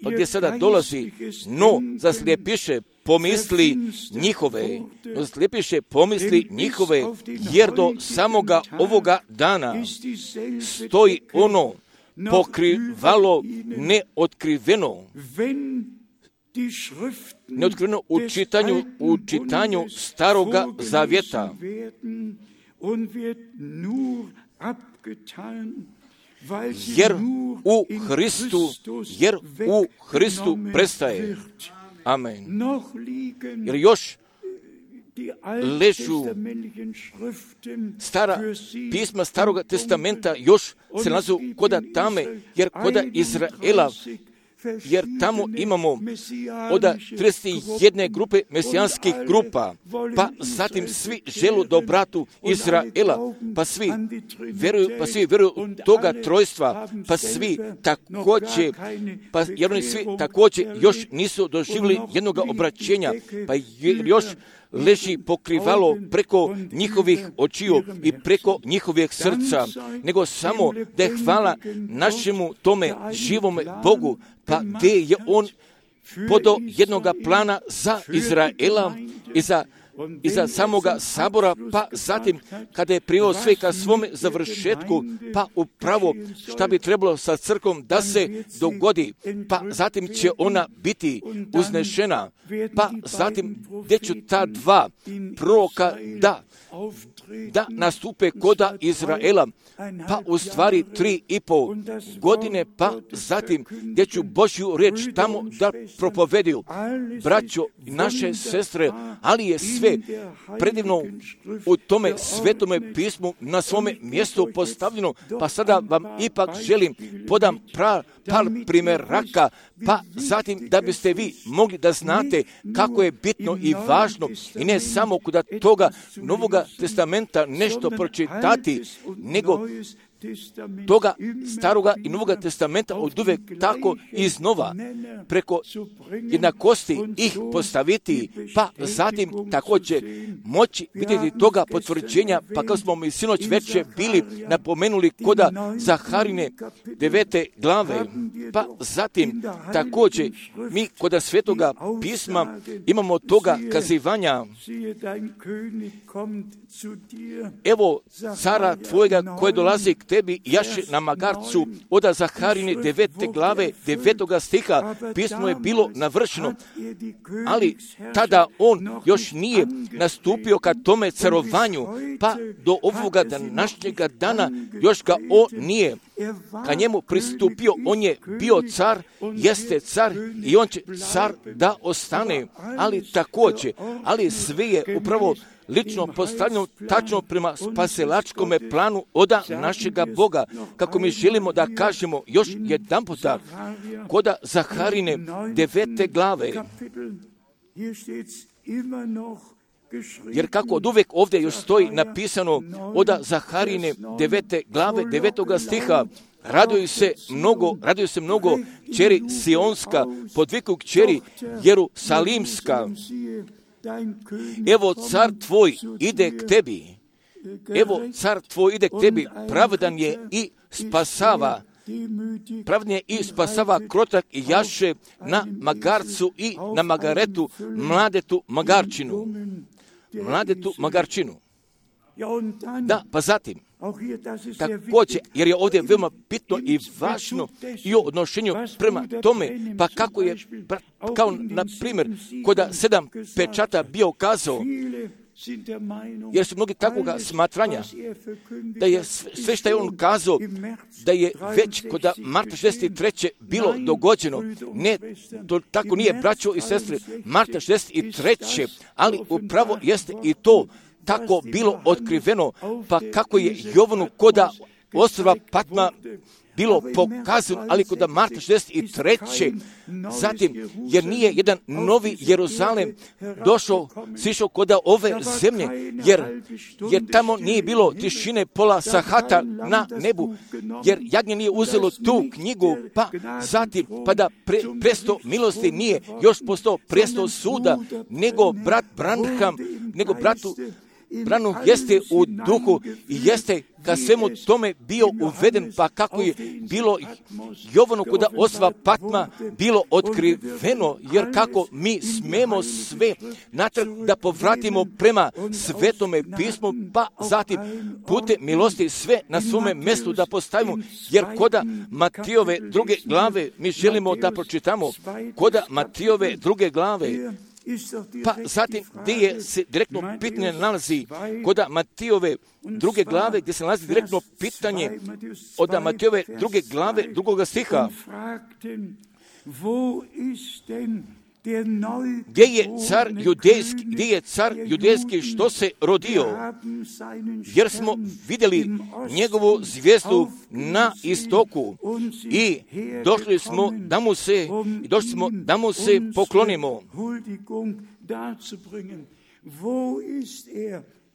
pa gdje sada dolazi, no zaslijepiše pomisli njihove, no zaslijepiše pomisli njihove, jer do samoga ovoga dana stoji ono pokrivalo neotkriveno, neotkriveno u čitanju, u čitanju Staroga Zavjeta. Jer u Hristu, jer u Hristu prestaje. Amen. Jer još ležu stara pisma Staroga testamenta, još se nalazu koda tame, jer koda Izraela, jer tamo imamo oda trideset jedne grupe mesijanskih grupa, pa zatim svi želu dobratu Izraela, pa svi vjeruju, pa svi vjeruju u toga trojstva, pa svi također, pa jer oni svi također još nisu doživjeli jednog obraćenja, pa još leži pokrivalo preko njihovih očiju i preko njihovih srca, nego samo da je hvala našemu tome živome Bogu, pa gdje je on podao jednoga plana za Izraela i za i za samoga sabora, pa zatim kada je priveo sve ka svome završetku, pa upravo šta bi trebalo sa crkvom da se dogodi, pa zatim će ona biti uznešena, pa zatim gdje će ta dva proroka da da nastupe koda Izraela, pa u stvari tri i pol godine, pa zatim gdje ću Božju riječ tamo da propoveduju. Braćo i naše sestre, ali je sve predivno u tome svetome pismu na svome mjestu postavljeno, pa sada vam ipak želim podam pra, par primjeraka, pa zatim da biste vi mogli da znate kako je bitno i važno i ne samo kod toga Novoga testamenta nešto pročitati, nego toga Staroga i Novoga testamenta od uvek tako iznova preko jednakosti ih postaviti, pa zatim također moći vidjeti toga potvrđenja, pa kao smo mi sinoć večer bili napomenuli koda Zaharine devete glave, pa zatim također mi koda Svetoga pisma imamo toga kazivanja: evo cara tvojega koje dolazi k tebi jaše na magarcu, oda Zaharine devete glave, devetoga stiha, pismo je bilo navršeno, ali tada on još nije nastupio ka tome carovanju, pa do ovoga današnjega dana još ga on nije ka njemu pristupio. On je bio car, jeste car i on će car da ostane, ali također, ali sve je upravo lično postavljeno tačno prema spasilačkome planu oda našega Boga, kako mi želimo da kažemo još jedan puta koda Zaharine devete glave. Jer kako od uvek ovdje još stoji napisano oda Zaharine devete glave, devetoga stiha, raduju se mnogo, raduju se mnogo kćeri Sionska, podviku kćeri Jerusalimska. Evo car tvoj ide k tebi, evo car tvoj ide k tebi, pravdan je i spasava, pravedan je i spasava krotak i jaše na magarcu i na magaretu, mladetu magarčinu, mladetu magarčinu. Da, pa zatim, također, jer je ovdje veoma bitno i važno i o odnošenju prema tome, pa kako je, kao na primjer, koda sedam pečata bio kazao, jer su mnogi takvoga smatranja, da je sve što je on kazao, da je već kod marta šezdeset treće bilo dogođeno. Ne, to tako nije, braćo i sestre, marta šezdeset treće, ali upravo jeste i to tako bilo otkriveno, pa kako je Jovanu koda ostrva Patma bilo pokazano, ali kod marta šezdeset treće Zatim, jer nije jedan novi Jeruzalem došao, sišao kod ove zemlje, jer, jer tamo nije bilo tišine pola sahata na nebu, jer jagnje nije uzelo tu knjigu, pa zatim, pa da pre, presto milosti nije još postao presto suda, nego brat Branham, nego bratu Branham jeste u duhu i jeste ka svemu tome bio uveden, pa kako je bilo Jovanu kod ostrva Patma bilo otkriveno, jer kako mi smemo sve natrag da povratimo prema Svetome pismu, pa zatim putem milosti sve na svome mjestu da postavimo, jer koda Matijove druge glave mi želimo da pročitamo, koda Matijove druge glave, pa zatim gdje je se direktno pitanje nalazi kod Matijove druge glave, gdje se nalazi direktno pitanje od Matijove druge glave, drugoga stiha, gdje je car judejski, gdje je car judejski što se rodio, jer smo vidjeli njegovu zvijezdu na istoku i došli smo da mu se, i došli smo da mu se poklonimo.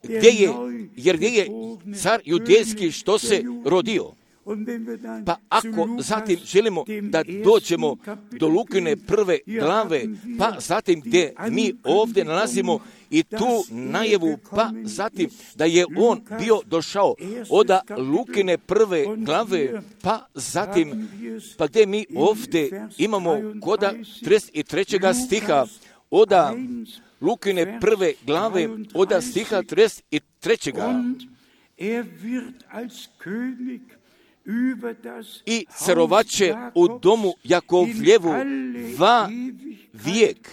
Gdje je, jer gdje je car judejski što se rodio? Pa ako zatim želimo da dođemo do Lukine prve glave, pa zatim gdje mi ovdje nalazimo i tu najavu, pa zatim da je on bio došao od Lukine prve glave, pa zatim, pa gdje mi ovdje imamo koda trideset trećeg stiha, od Lukine prve glave, od stiha trideset trećeg I carovaće u domu Jakovljevu va vijek,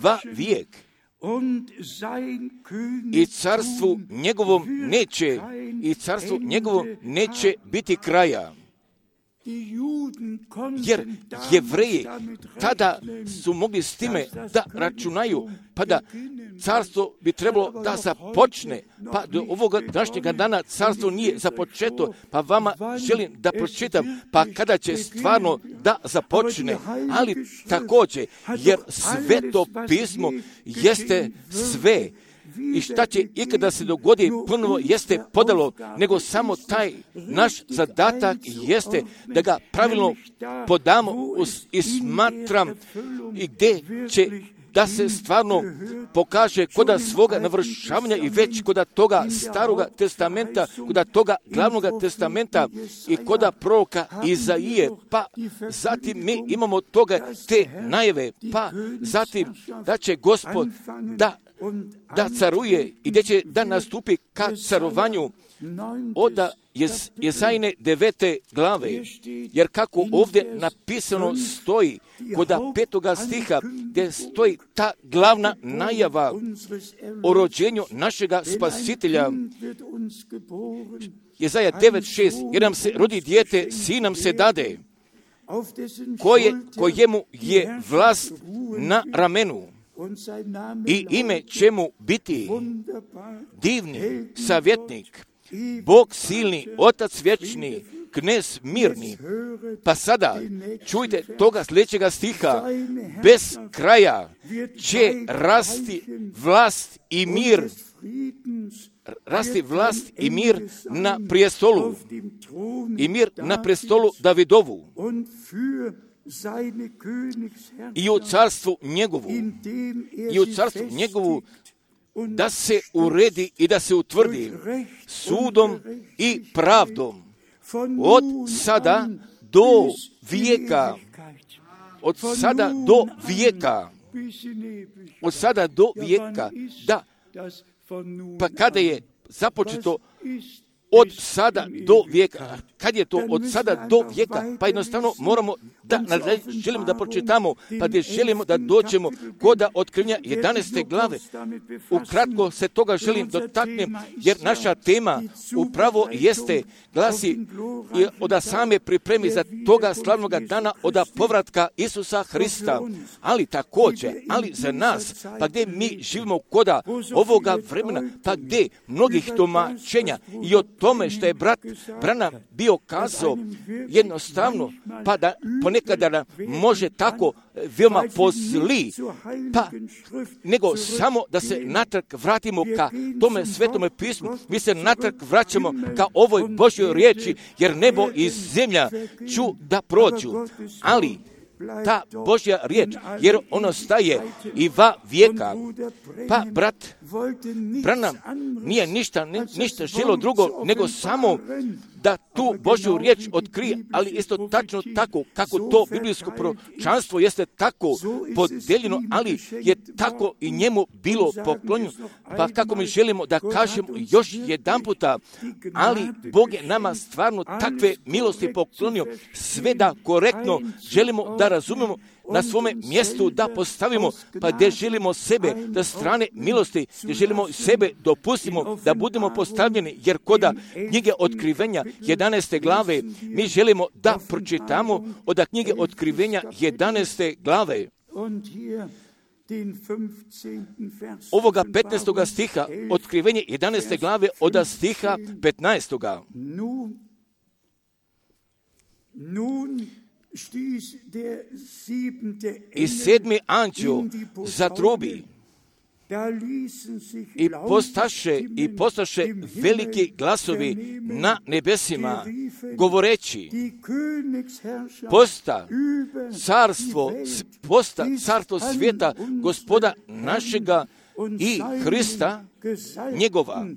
va vijek. I carstvu njegovom neće, i carstvu njegovom neće biti kraja. Jer Jevreji tada su mogli s time da računaju, pa da carstvo bi trebalo da započne, pa do ovoga današnjega dana carstvo nije započeto, pa vama želim da pročitam, pa kada će stvarno da započne, ali također, jer Sveto pismo jeste sve. I šta će ikada se dogodi ponovo jeste podalo, nego samo taj naš zadatak jeste da ga pravilno podamo i smatram i gdje će da se stvarno pokaže koda svoga navršavanja i već koda toga staroga testamenta, koda toga glavnoga testamenta i koda proroka Izaije, pa zatim mi imamo toga te najave, pa zatim da će Gospod da da caruje i gdje će da nastupi ka carovanju od Jesajine devete glave, jer kako ovdje napisano stoji kod petoga stiha gdje stoji ta glavna najava o rođenju našega spasitelja. Jesaja devet šest, jer nam se rodi dijete, sin nam se dade, koje, kojemu je vlast na ramenu. I ime će mu biti divni savjetnik, Bog silni, Otac vječni, Knez mirni. Pa sada čujte toga sljedećega stiha, bez kraja će rasti vlast i mir, rasti vlast i mir na prijestolu, i mir na prestolu Davidovu, i u carstvu njegovu, i u carstvu njegovu da se uredi i da se utvrdi sudom i pravdom od sada do vijeka, od sada do vijeka, od sada do vijeka, da, pa kada je započeto od sada do vijeka, kad je to od sada do vijeka, pa jednostavno moramo da želimo da pročitamo, pa gdje želimo da dođemo kod otkrivenja jedanaeste glave. Ukratko se toga želim dotaknem, jer naša tema upravo jeste, glasi od same pripremi za toga slavnog dana od povratka Isusa Hrista, ali također, ali za nas, pa gdje mi živimo koda ovoga vremena, pa gdje mnogih tumačenja i o tome što je brat Branham bio kazao jednostavno, pa da ponekada može tako veoma pozli, pa nego samo da se natrag vratimo ka tome svetome pismu, mi se natrag vraćamo ka ovoj Božjoj riječi, jer nebo i zemlja ću da prođu, ali ta Božja riječ, jer ono staje i va vijeka. Pa brat Branham nije ništa, ništa želo drugo, nego samo da tu Božju riječ otkrije, ali isto tačno tako, kako to biblijsko proročanstvo jeste tako podeljeno, ali je tako i njemu bilo poklonjeno. Pa kako mi želimo da kažemo još jedan puta, ali Bog je nama stvarno takve milosti poklonio, sve da korektno želimo da razumemo, na svome mjestu da postavimo, pa gdje želimo sebe da strane milosti, gdje želimo sebe dopustimo da budemo postavljeni, jer koda knjige otkrivenja jedanaeste glave mi želimo da pročitamo od knjige otkrivenja jedanaeste glave. Ovoga petnaestoga stiha, otkrivenje jedanaeste glave od stiha petnaestoga. I sedmi anđeo zatrubi i postaše i postaše veliki glasovi na nebesima, govoreći: posta carstvo, posta carstvo svijeta Gospoda našega i Hrista njegova.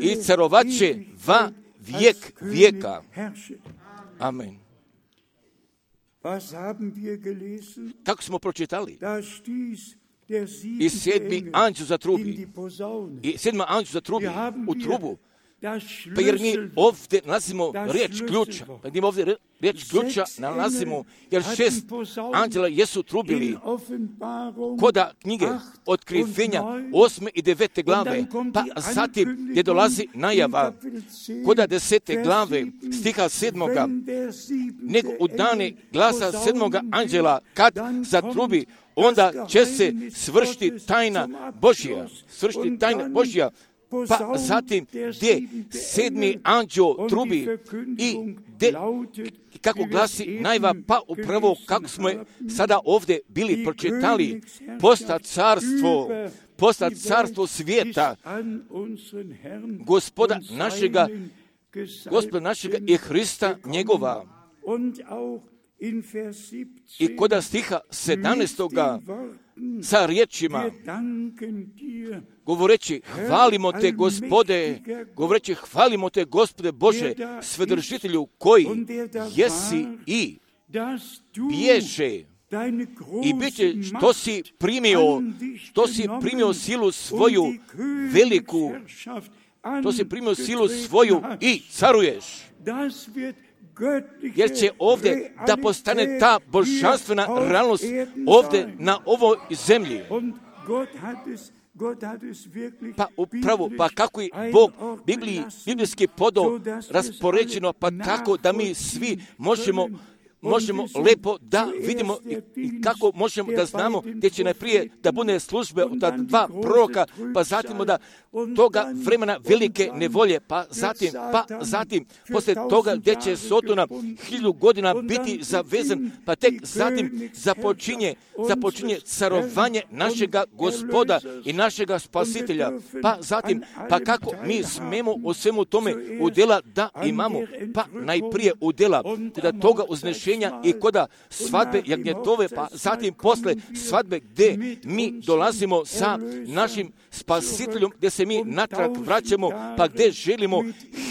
I carovaće va vijek vijeka. Amen. Kako smo pročitali? I sedmi anđeo zatrubi. I sedma anđeo zatrubi u trubu. Pa jer mi ovdje nalazimo riječ ključa. Pa mi ovdje riječ ključa nalazimo, jer šest anđela jesu trubili koda knjige otkrivenja osme i devete glave. Pa zatim je dolazi najava koda desete glave stiha sedmoga. Nego u dane glasa sedmoga anđela kad zatrubi, onda će se svršiti tajna Božja. Svršiti tajna Božja. Pa zatim gdje sedmi anđeo trubi i de, kako glasi najva, pa upravo kako smo je sada ovdje bili pročitali, posta carstvo, posta carstvo svijeta, Gospoda našega, Gospoda našega i Hrista njegova. I koda stiha sedamnaestoga sa riječima, govoreći: hvalimo te, Gospode, govoreći: hvalimo te, Gospode Bože, svedržitelju koji jesi i bježe i bit će što si primio, što si primio silu svoju veliku, što si primio silu svoju i caruješ. Jer će ovdje da postane ta božanstvena realnost ovdje na ovoj zemlji. Pa upravo, pa kako je Bog Bibliji, biblijski podao raspoređeno, pa tako da mi svi možemo možemo lepo da vidimo i kako možemo da znamo gdje će najprije da bude službe od ta dva proroka, pa zatim da toga vremena velike nevolje, pa zatim, pa zatim poslije toga gdje će Sodona hiljadu godina biti zavezan, pa tek zatim započinje, započinje carovanje našega Gospoda i našega Spasitelja, pa zatim, pa kako mi smemo u svemu tome udjela da imamo, pa najprije udjela kada toga uznešenja i koda svadbe jagnjetove, pa zatim posle svadbe gdje mi dolazimo sa našim Spasiteljom, gdje se mi natrag vraćamo, pa gdje želimo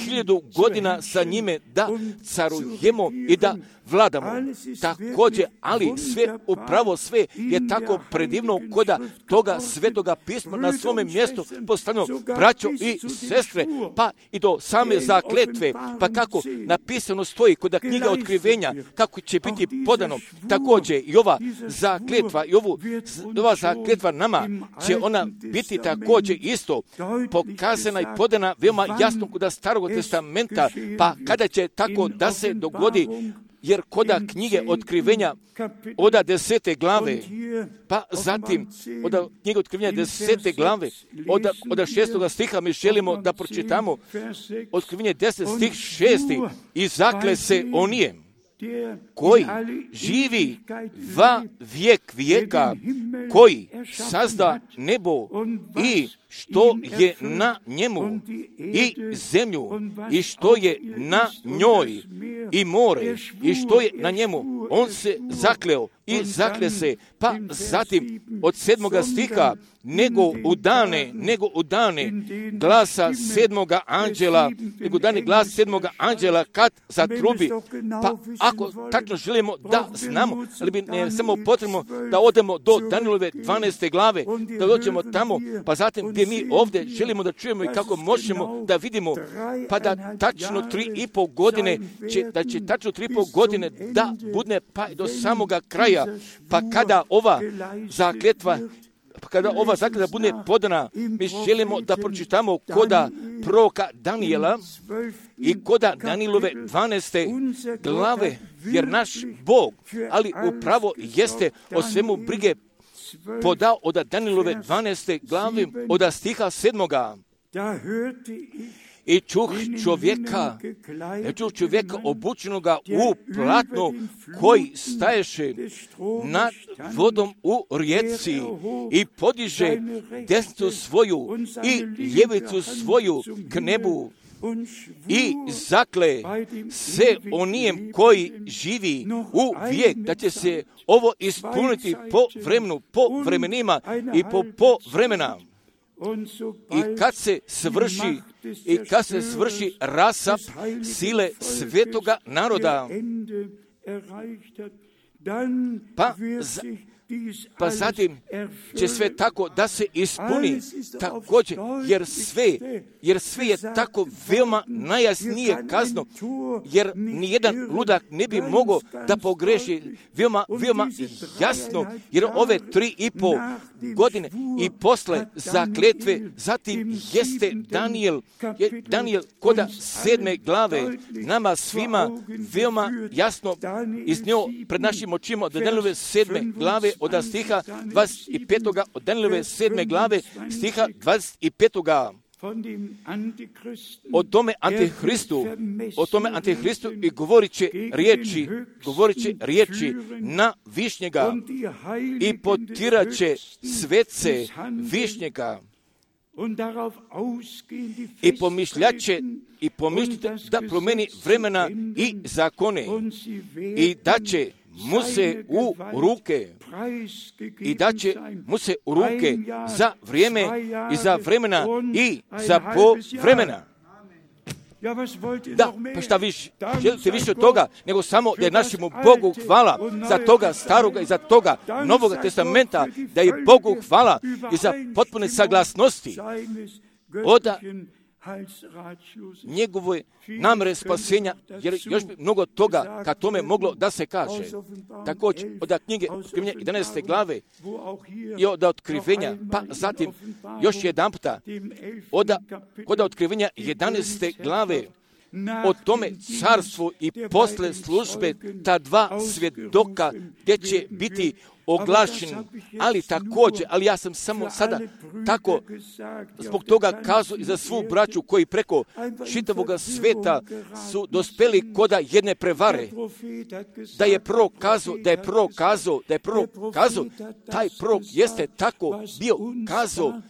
hiljadu godina sa njime da carujemo i da vladamo. Također, ali sve, upravo sve je tako predivno koda toga svetoga pisma na svome mjestu postavljeno, braćo i sestre, pa i do same zakletve, pa kako napisano stoji kod knjiga otkrivenja, kako će biti podano, također i ova zakletva, i ovu, ova zakletva nama će ona biti također isto pokazana i podana veoma jasno kod Starog testamenta, pa kada će tako da se dogodi, jer koda knjige otkrivenja oda desete glave, pa zatim oda knjige otkrivenja desete glave, oda, oda šestoga stiha mi želimo da pročitamo otkrivenje deset stih šesti i zakle se onijem koji živi va vijek vijeka, koji sazda nebo i što je na njemu i zemlju i što je na njoj i more i što je na njemu. On se zakleo i zakle se, pa zatim od sedmoga stiha, nego u dane, nego u dane glasa sedmoga anđela, nego dane glas sedmoga anđela kad zatrubi. Pa ako tačno želimo da znamo, ali bi ne samo potrebno da odemo do Danilove dvanaeste glave, da dođemo tamo, pa zatim gdje mi ovdje želimo da čujemo i kako možemo da vidimo, pa da tačno tri i pol godine, će, da će tačno tri i pol godine da bude pa do samoga kraja, pa kada ova zakletva Pa kada ova zakletva bude podana, mi želimo da pročitamo koda proroka Danijela i koda Danilove dvanaeste glave, jer naš Bog, ali upravo jeste o svemu brige podao od Danilove dvanaeste glave, od stiha sedmoga. I čuh čovjeka, i čuh čovjeka obučenoga u platno, koji staješe nad vodom u rijeci i podiže desnicu svoju i ljevicu svoju k nebu i zakle se onijem koji živi u vijek, da će se ovo ispuniti po vremenu, po vremenima i po, po vremena. I kad se svrši, i kad se svrši rasap sile svetoga naroda, pa, za, pa zatim će sve tako da se ispuni također, jer sve, jer sve je tako veoma najjasnije kazno, jer nijedan ludak ne bi mogao da pogreši, veoma, veoma jasno, jer ove tri i pol godine i posle zakletve, zatim jeste Danijel, je Danijel koda sedme glave, nama svima veoma jasno iznio pred našim očima od Danijelove sedme glave, od stiha dvadeset pet. od Danijelove sedme glave, stiha dvadeset pet. O tome Antihristu, o tome Antihristu i govorit će riječi, govorit će riječi na višnjega i potirat će svece višnjega i pomišljaće i pomišljite da promeni vremena i zakone i da će mu se u ruke i da će mu se u ruke za vrijeme i za vremena i za po vremena. Da, pa šta više, želite više od toga, nego samo da je našemu Bogu hvala za toga staroga i za toga Novoga testamenta, da je Bogu hvala i za potpune saglasnosti od njegove namere spasenja, jer još bi mnogo toga ka tome moglo da se kaže. Također, od knjige otkrivenja jedanaeste glave i od otkrivenja, pa zatim još jedan puta, od, od otkrivenja jedanaeste glave, o tome carstvu i posle službe ta dva svjedoka gdje će biti oglašeni, ali također, ali ja sam samo sada tako zbog toga kazao i za svu braću koji preko čitavoga sveta su dospeli koda jedne prevare, da je prorok kazao, da je prorok kazao, da je prorok kazao, taj prorok jeste tako bio kazao,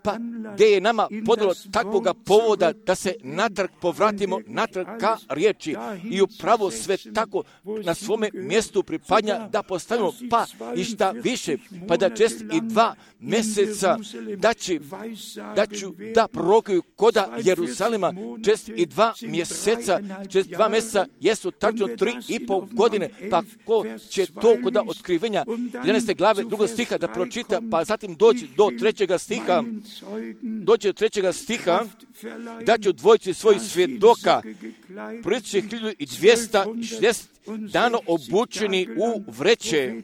pa gdje je nama podalo takvoga povoda da se natrag povratimo, natrag ka riječi i upravo sve tako na svome mjestu pripadnja da postavimo, pa i šta više, pa da četiri i dva mjeseca da, će, da ću da prorokuju koda Jerusalima četiri i dva mjeseca, četiri i dva mjeseca jesu tačno tri i pol godine, pa ko će to koda otkrivenja jedanaeste glave drugog stiha da pročita, pa zatim doći do trećega stiha, doći do trećega stiha, da će dvojici svojih svjedoka proći hiljadu i dvjesto šezdeset dano obučeni u vreće,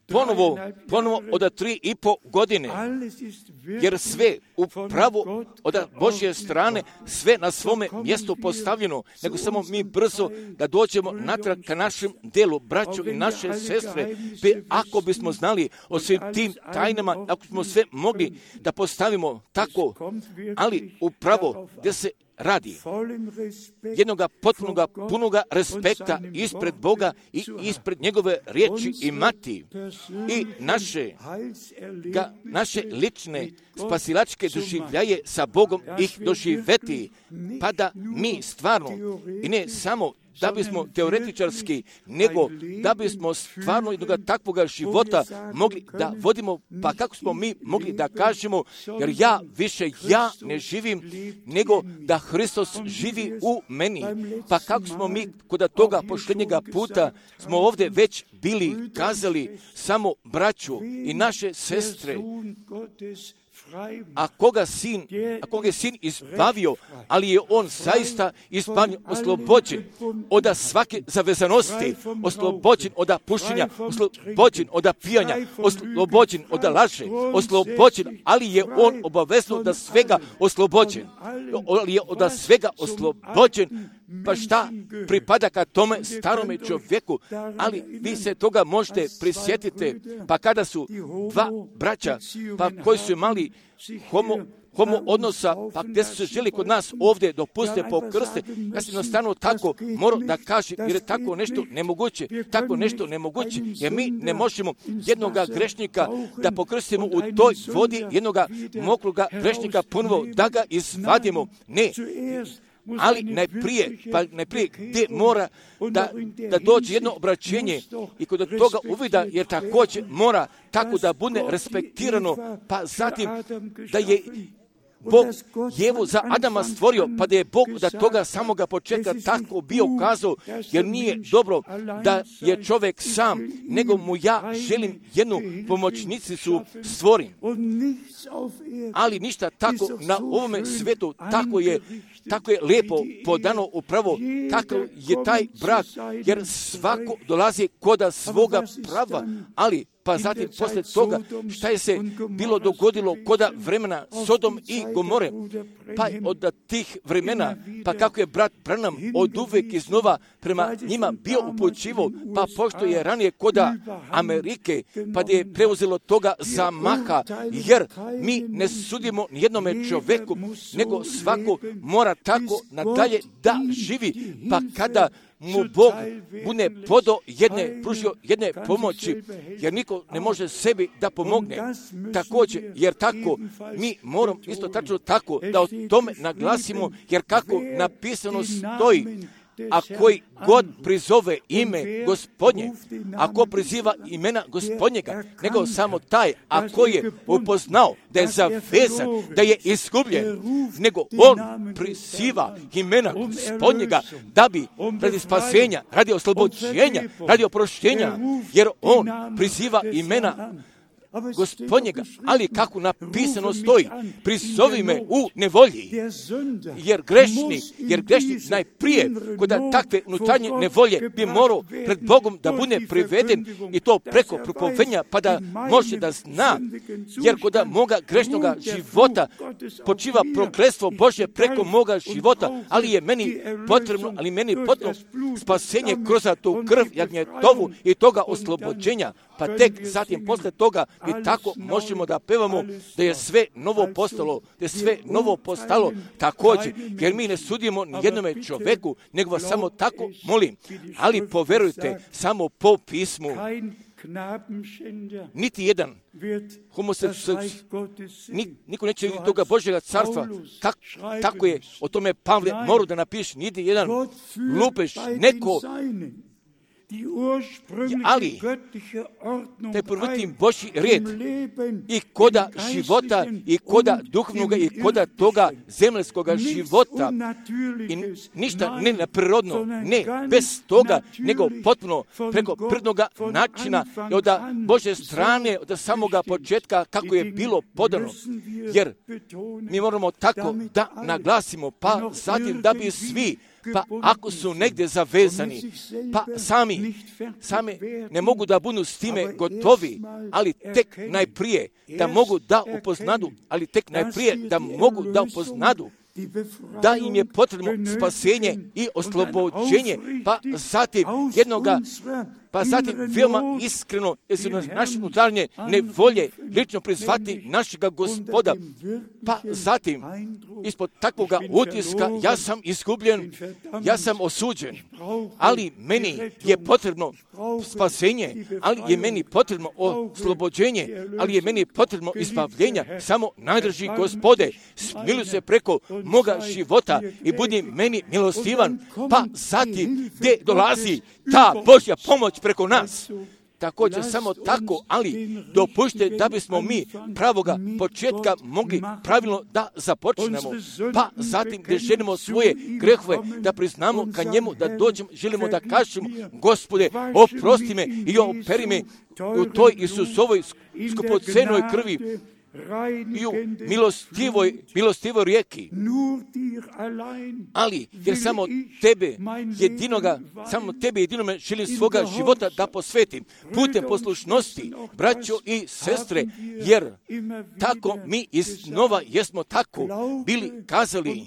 ponovo, ponovo od tri i po godine, jer sve upravo od Božje strane, sve na svome mjestu postavljeno, nego samo mi brzo da dođemo natrag ka našem delu, braćo i naše sestre, pe ako bismo znali o svim tim tajnama, ako smo sve mogli da postavimo tako, ali upravo gdje se radi jednoga potpunoga, punoga respekta ispred Boga i ispred njegove riječi imati i naše, ga, naše lične spasilačke doživljaje sa Bogom ih doživeti, pa da mi stvarno i ne samo da bismo teoretičarski, nego da bismo stvarno jednog takvoga života mogli da vodimo, pa kako smo mi mogli da kažemo, jer ja više ja ne živim, nego da Hristos živi u meni. Pa kako smo mi kod toga posljednjega puta smo ovdje već bili kazali samo braću i naše sestre, a koga sin, a koga je sin izbavio, ali je on zaista izbavljen, oslobođen od svake zavezanosti, oslobođen od pušenja, oslobođen od pijanja, oslobođen od laže, oslobođen, ali je on obavezno da svega oslobođen, ali je od svega oslobođen. Pa šta pripada ka tome starome čovjeku, ali vi se toga možete prisjetiti, pa kada su dva braća, pa koji su imali homo, homo odnosa, pa gdje su se želi kod nas ovdje dopuste po krste, ja sam jednostavno tako moram da kažem, jer je tako nešto nemoguće, tako nešto nemoguće, jer mi ne možemo jednoga grešnika da pokrstimo u toj vodi, jednoga mokroga grešnika ponovo da ga izvadimo, ne. Ali najprije, pa najprije gdje mora da, da dođe jedno obraćenje i kod toga uvida, jer također mora tako da bude respektirano, pa zatim da je Bog Jevu za Adama stvorio, pa da je Bog da toga samoga početka tako bio kazao, jer nije dobro da je čovjek sam, nego mu ja želim jednu pomoćnicu stvorim. Ali ništa tako na ovome svetu, tako je, tako je lijepo podano upravo, kako je taj brak, jer svako dolazi koda svoga prava, ali pa zatim poslije toga šta je se bilo dogodilo koda vremena Sodom i Gomore, pa od tih vremena, pa kako je brat Branham od uvijek iznova prema njima bio upućivo, pa pošto je ranije koda Amerike, pa da je preuzelo toga zamaha, jer mi ne sudimo nijednome čovjeku, nego svako mora tako nadalje da živi, pa kada mu Bog bude podo jedne, pružio jedne pomoći, jer niko ne može sebi da pomogne. Također, jer tako, mi moramo isto tačno tako da o tome naglasimo, jer kako napisano stoji, a koji god prizove ime Gospodnje, ako priziva imena Gospodnjega, nego samo taj, a koji je upoznao da je zavezan, da je izgubljen, nego on priziva imena Gospodnjega da bi radi spasenja, radi oslobođenja, radi oproštenja, jer on priziva imena Gospodnjega, ali kako napisano stoji, prizovi me u nevolji, jer grešnik, jer grešnik najprije kod takve unutarnje nevolje bi morao pred Bogom da bude priveden i to preko propovenja, pa da može da zna, jer kod moga grešnoga života počiva prokletstvo Božje preko moga života, ali je meni potrebno, ali meni potrebno spasenje kroz tu krv jagnjetovu i toga oslobođenja, pa tek zatim posle toga mi tako možemo da pevamo da je sve novo postalo, da je sve novo postalo također, jer mi ne sudimo ni jednome čovjeku, nego vas samo tako molim, ali poverujte samo po pismu, niti jedan homoseksualac, niko neće vidjeti toga Božjega carstva. Tak, tako je, o tome Pavle mora da napiše, niti jedan lupež, neko ali taj prvotni Božji red i koda života i koda duhovnoga i koda toga zemljskoga života i ništa ne neprirodno, ne bez toga, nego potpuno preko prirodnoga načina i od Božje strane, od samoga početka kako je bilo podano. Jer mi moramo tako da naglasimo, pa zatim da bi svi, pa ako su negdje zavezani, pa sami, sami ne mogu da budu s time gotovi, ali tek najprije da mogu da upoznadu, ali tek najprije da mogu da upoznadu da im je potrebno spasenje i oslobođenje, pa zatim jednoga, pa zatim veoma iskreno, jer su naše unutarnje nevolje lično prizvati našega Gospoda, pa zatim ispod takvoga utiska ja sam izgubljen, ja sam osuđen, ali meni je potrebno spasenje, ali je meni potrebno oslobođenje, ali je meni potrebno izbavljenja. Samo najdrži Gospode, smiluj se preko moga života i budi meni milostivan, pa zatim gdje dolazi ta Božja pomoć preko nas. Također samo tako, ali dopušte da bismo mi pravoga početka mogli pravilno da započnemo, pa zatim gdje želimo svoje grehove da priznamo ka njemu, da dođemo, želimo da kažemo, Gospode, oprosti me i operi me u toj Isusovoj skupocenoj krvi i u milostivoj, milostivoj rijeki. Ali, jer samo tebe jedinoga, samo tebe jedinome želim svoga života da posvetim putem poslušnosti, braćo i sestre, jer tako mi iznova jesmo tako bili kazali,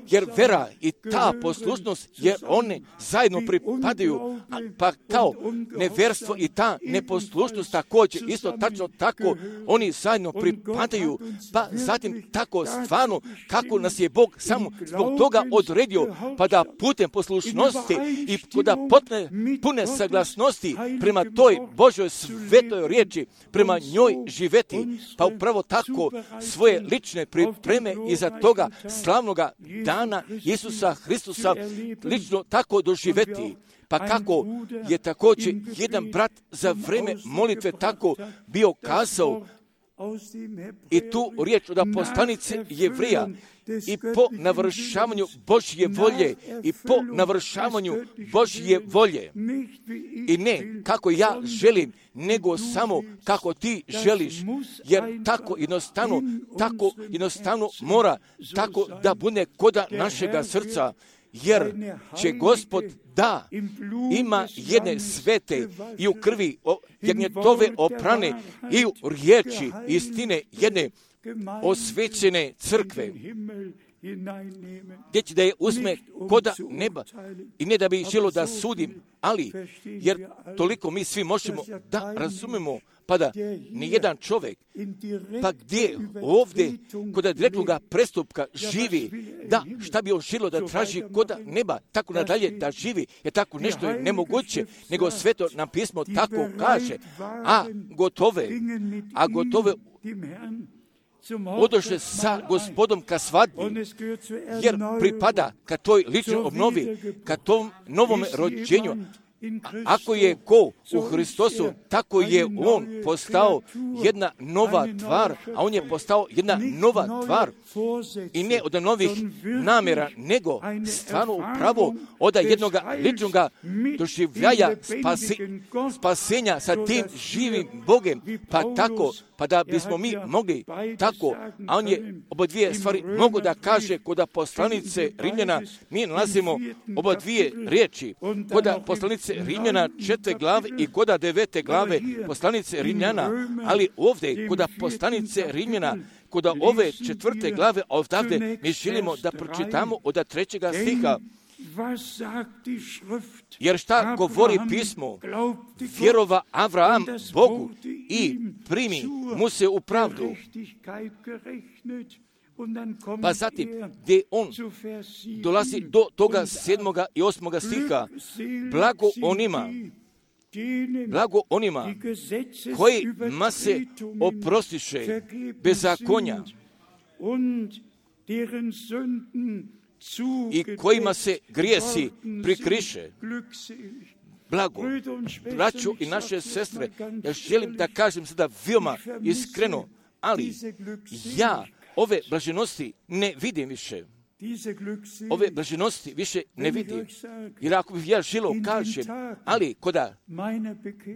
jer vera i ta poslušnost, jer one zajedno pripadaju, pa kao neverstvo i ta neposlušnost također, isto tačno tako, oni zajedno pripadaju. Padaju, pa zatim tako stvarno kako nas je Bog samo zbog toga odredio, pa da putem poslušnosti i da potne pune saglasnosti prema toj Božoj svetoj riječi, prema njoj živeti, pa upravo tako svoje lične pripreme iza toga slavnoga dana Isusa Hristusa lično tako doživeti. Pa kako je također jedan brat za vreme molitve tako bio kazao, i tu riječ od poslanice Jevrija, i po navršavanju Božje volje, i po navršavanju Božje volje. I ne kako ja želim, nego samo kako ti želiš, jer tako jednostavno, tako jednostavno mora tako da bude koda našega srca, jer će Gospod da ima jedne svete i u krvi jagnjetove oprane i u riječi istine jedne osvećene crkve, gdje će da je uzme koda neba i ne da bi želo da sudim, ali jer toliko mi svi možemo da razumemo, pa da nijedan čovjek, pa gdje ovdje kod direktnoga prestupka živi, da šta bi on želo da traži koda neba, tako nadalje da živi, je tako nešto je nemoguće, nego sveto nam pismo tako kaže, a gotove, a gotove odoše sa Gospodom ka svadbi, jer pripada ka toj ličnoj obnovi, ka tom novom rođenju. Ako je ko u Hristosu, tako je on postao jedna nova tvar, a on je postao jedna nova tvar i ne od novih namjera, nego stvarno upravo od jednog ličnog doživljaja spasi, spasenja sa tim živim Bogem, pa tako, pa da bismo mi mogli tako, a on je oba dvije stvari mogu da kaže kod poslanice Rimljana, mi nalazimo oba dvije riječi, kod poslanice Rimljana četvrte glave i kod devete glave poslanice Rimljana, ali ovdje kod poslanice Rimljana, kod ove četvrte glave ovdje mi želimo da pročitamo od trećega stiha. Jer šta govori pismo? Vjerova Avraham Bogu i primi mu se u pravdu. Pa zatim, gdje on dolazi do toga sedmoga i osmoga stiha, blago onima, blago onima kojima se oprostiše bezakonja i kojima se grijesi prikriše. blago. Braćo i naše sestre, ja želim da kažem sada veoma iskreno, ali ja ove blaženosti ne vidim više. Ove blaženosti više ne vidim. Jer ako bih ja želio kažem, ali koda,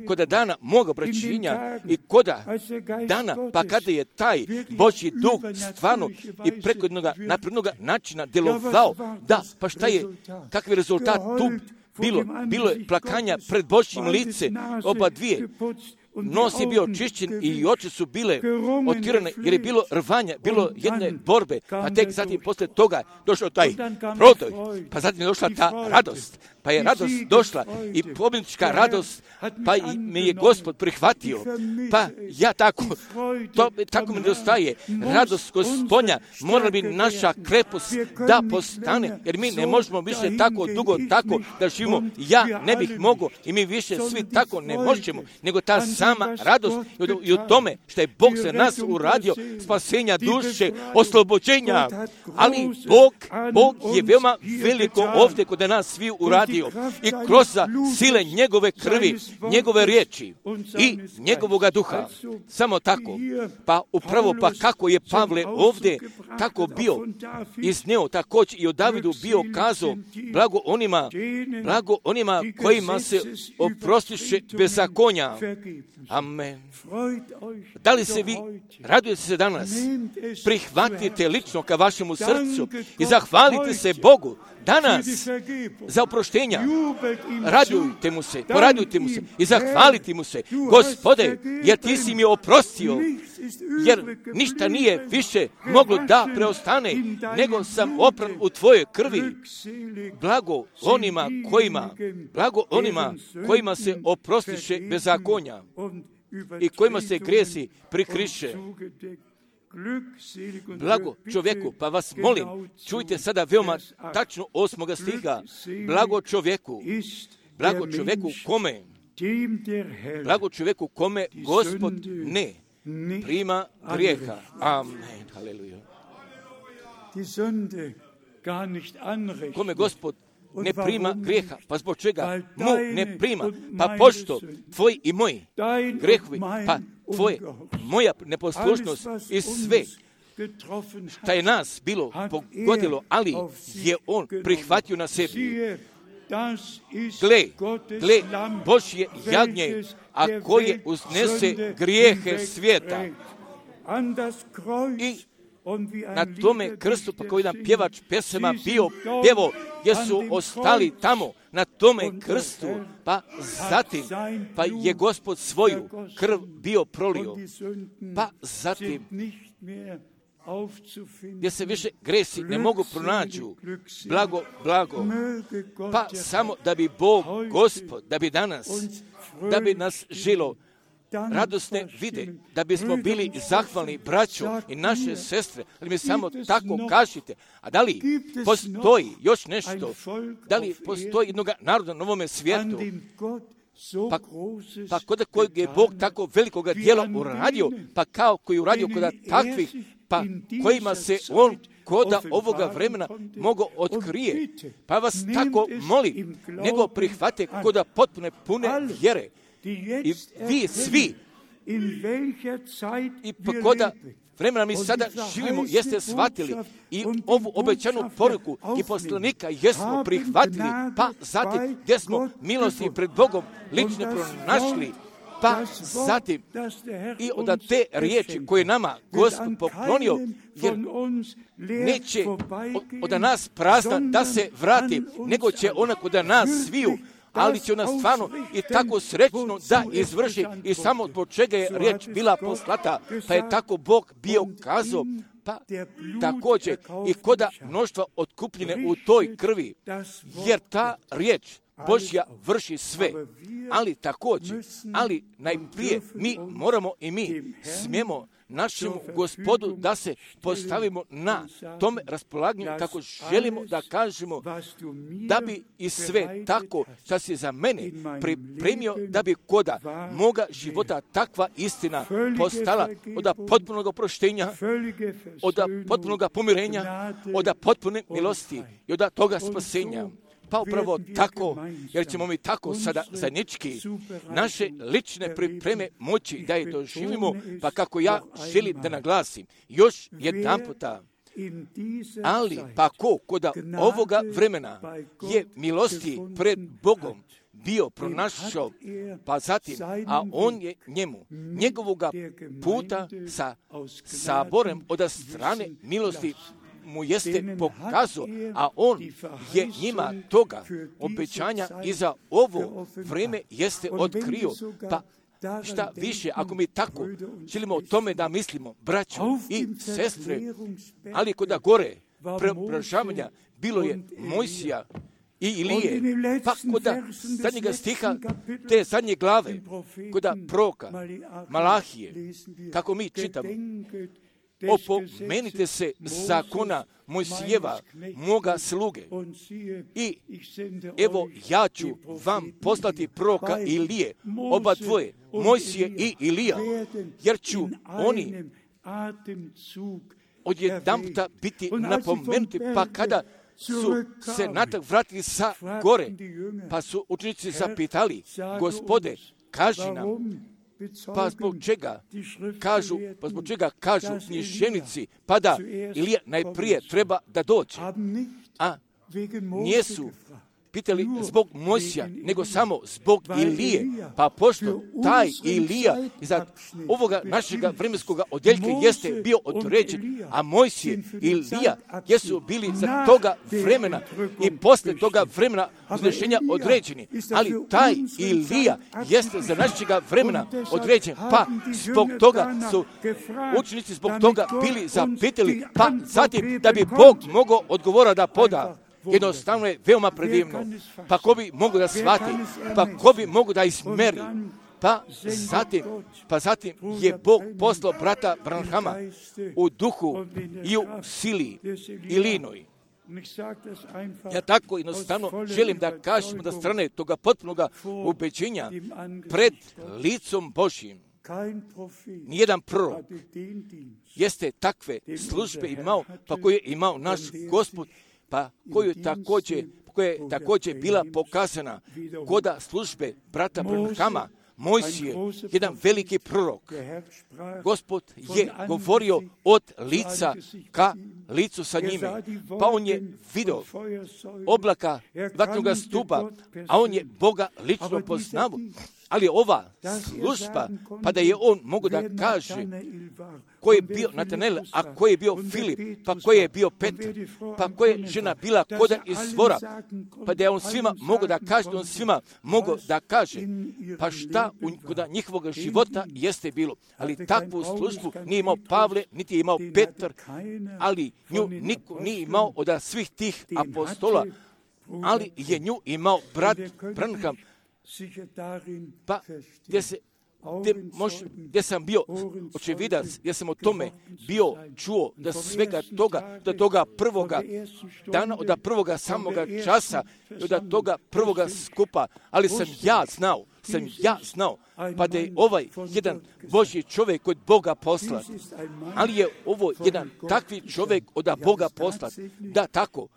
koda dana moga obraćenja i koda dana, pa kada je taj Božji duh stvarno i preko jednog naprednog načina djelovao, da, pa šta je, kakav je rezultat tu bilo? Bilo je plakanja pred Božjim lice, oba dvije. Nos je bio očišćen i oči su bile otvorene jer je bilo rvanja, bilo jedne borbe, pa tek zatim posle toga došao taj prodoj, pa zatim je došla ta radost, pa je radost došla i pobjednička radost, pa i me je Gospod prihvatio, pa ja tako, to tako mi nedostaje, radost Gospodnja, mora bi naša krepost da postane, jer mi ne možemo više tako dugo tako da živimo, ja ne bih mogao i mi više svi tako ne možemo, nego ta sama radost i u tome što je Bog za nas uradio, spasenja duše, oslobođenja, ali Bog, Bog je veoma veliko ovdje kod nas svi uradio i kroz sile njegove krvi, njegove riječi i njegovoga duha. Samo tako. Pa upravo pa kako je Pavle ovdje tako bio izneo također i o Davidu bio kazao, blago onima, blago onima kojima se oprostiše bezakonja. Amen. Da li se vi radujete se danas? Prihvatite lično ka vašemu srcu i zahvalite se Bogu danas za oproštenja. Radujte mu se, poradujte mu se i zahvalite mu se. Gospode, jer ti si mi oprostio, jer ništa nije više moglo da preostane, nego sam opran u tvojoj krvi. Blago onima kojima, blago onima kojima se oprostiše bezakonja i kojima se grijesi prikriše. Blago čovjeku, pa vas molim, čujte sada veoma tačno osmoga stiha. Blago čovjeku, blago čovjeku kome, blago čovjeku kome Gospod ne prima grijeha. Amen. Haleluja. Kome Gospod ne prima grijeha. Pa zbog čega mu ne prima? Pa pošto tvoj i moj grijehovi, pa tvoje, moja neposlušnost i sve šta je nas bilo pogodilo, ali je on prihvatio na sebi. Gle, gle, Božje jagnje, a koje uznese grijehe svijeta. I na tome krstu, pa koji nam pjevač pjesama bio pjevo, gdje su ostali tamo, na tome krstu, pa zatim, pa je Gospod svoju krv bio prolio, pa zatim, gdje se više gresi ne mogu pronaći, blago, blago, pa samo da bi Bog, Gospod, da bi danas, da bi nas žilo radosne vide, da bismo bili zahvalni braćo i naše sestre, ali mi samo tako kažite. A da li postoji još nešto? Da li postoji jednog naroda na novome svijetu? Pa, pa kod kojeg je Bog tako velikoga djela uradio, pa kao koji je uradio kod takvih, pa kojima se on koda ovoga vremena mogo otkrije. Pa vas tako molim, nego prihvate koda potpune pune vjere. I vi svi, i pa koda vremena mi sada živimo, jeste shvatili i ovu obećanu poruku i poslanika jesmo prihvatili, pa zatim gdje smo milosti pred Bogom lično pronašli, pa zatim i od te riječi koje nama Gospod poklonio, jer neće od nas prazna da se vrati, nego će ona kod nas sviju, ali će ona stvarno i tako srećno da izvrši i samo zbog čega je riječ bila poslata, pa je tako Bog bio kazao, pa također i koda mnoštva otkupljene u toj krvi, jer ta riječ Božja vrši sve, ali također, ali najprije mi moramo i mi smijemo našemu Gospodu da se postavimo na tome raspolaganju kako želimo da kažemo da bi i sve tako što si za mene pripremio da bi koda moga života takva istina postala od potpunog oproštenja, od potpunog pomirenja, od potpune milosti i od toga spasenja. Pa upravo tako, jer ćemo mi tako sada zajednički naše lične pripreme moći da je doživimo, pa kako ja želim da naglasim još jedan puta. Ali pa ko koda ovoga vremena je milosti pred Bogom bio pronašao, pa zatim, a on je njemu, njegovoga puta sa saborem od strane milosti mu jeste pokazao, a on je njima toga obećanja i za ovo vreme jeste otkrio. Pa šta više, ako mi tako želimo o tome da mislimo, braćo i sestre, ali koda gore preobražavanja bilo je Mojsija i Ilije, pa koda zadnjega stiha te zadnje glave, koda proroka Malahije, kako mi čitamo, opomenite se zakona Mojsijeva, moga sluge. I evo ja ću vam poslati proroka Ilije, oba dvoje, Mojsije i Ilija, jer ću oni odjedanputa biti napomenuti, pa kada su se natrag vratili sa gore, pa su učenici zapitali, Gospode, kaži nam, pa zbog čega kažu, pa zbog čega kažu književnici, pa da Ilija najprije treba da dođe, a nijesu pitali zbog Mojsija, nego samo zbog Ilije, pa pošto taj Ilija iza ovoga našega vremenskoga odjeljka jeste bio određen, a Mojsije i Ilija jesu bili za toga vremena i posle toga vremena uznešenja određeni, ali taj Ilija jeste za našega vremena određen, pa zbog toga su učenici zbog toga bili zapitali, pa zatim da bi Bog mogao odgovora da poda. Jednostavno je veoma predivno. Pa ko bi mogu da shvati, pa ko bi mogu da izmeri, pa zatim, pa zatim je Bog poslao brata Branhama u duhu i u sili Ilinoj. Ja tako jednostavno želim da kažem da strane toga potpunoga ubeđenja pred licom Božjim. Nijedan prorok jeste takve službe imao, pa koje je imao naš Gospod, pa koju također, koja je također bila pokazana koda službe brata Branhama, Mojsije, jedan veliki prorok. Gospod je govorio od lica ka licu sa njime, pa on je vidio oblaka vatnoga stupa, a on je Boga lično poznao. Ali ova služba, pa da je on mogu da kaže ko je bio Natanel, a ko je bio Filip, pa ko je bio Petar, pa ko je žena bila koda izvora, pa da je on svima mogu da kaže, on svima mogu da kaže, pa šta u koda njihovog života jeste bilo. Ali takvu službu nije imao Pavle, niti je imao Petar, ali nju niko nije imao od svih tih apostola, ali je nju imao brat Branham, pa gdje, se, gdje, mož, gdje sam bio očevidac, gdje sam o tome bio čuo da svega toga, da toga prvoga dana, od prvoga samoga časa, od toga prvoga skupa, ali sam ja znao, sam ja znao, pa da je ovaj jedan Božji čovjek od Boga poslat, ali je ovo jedan takvi čovjek od Boga poslat, da tako,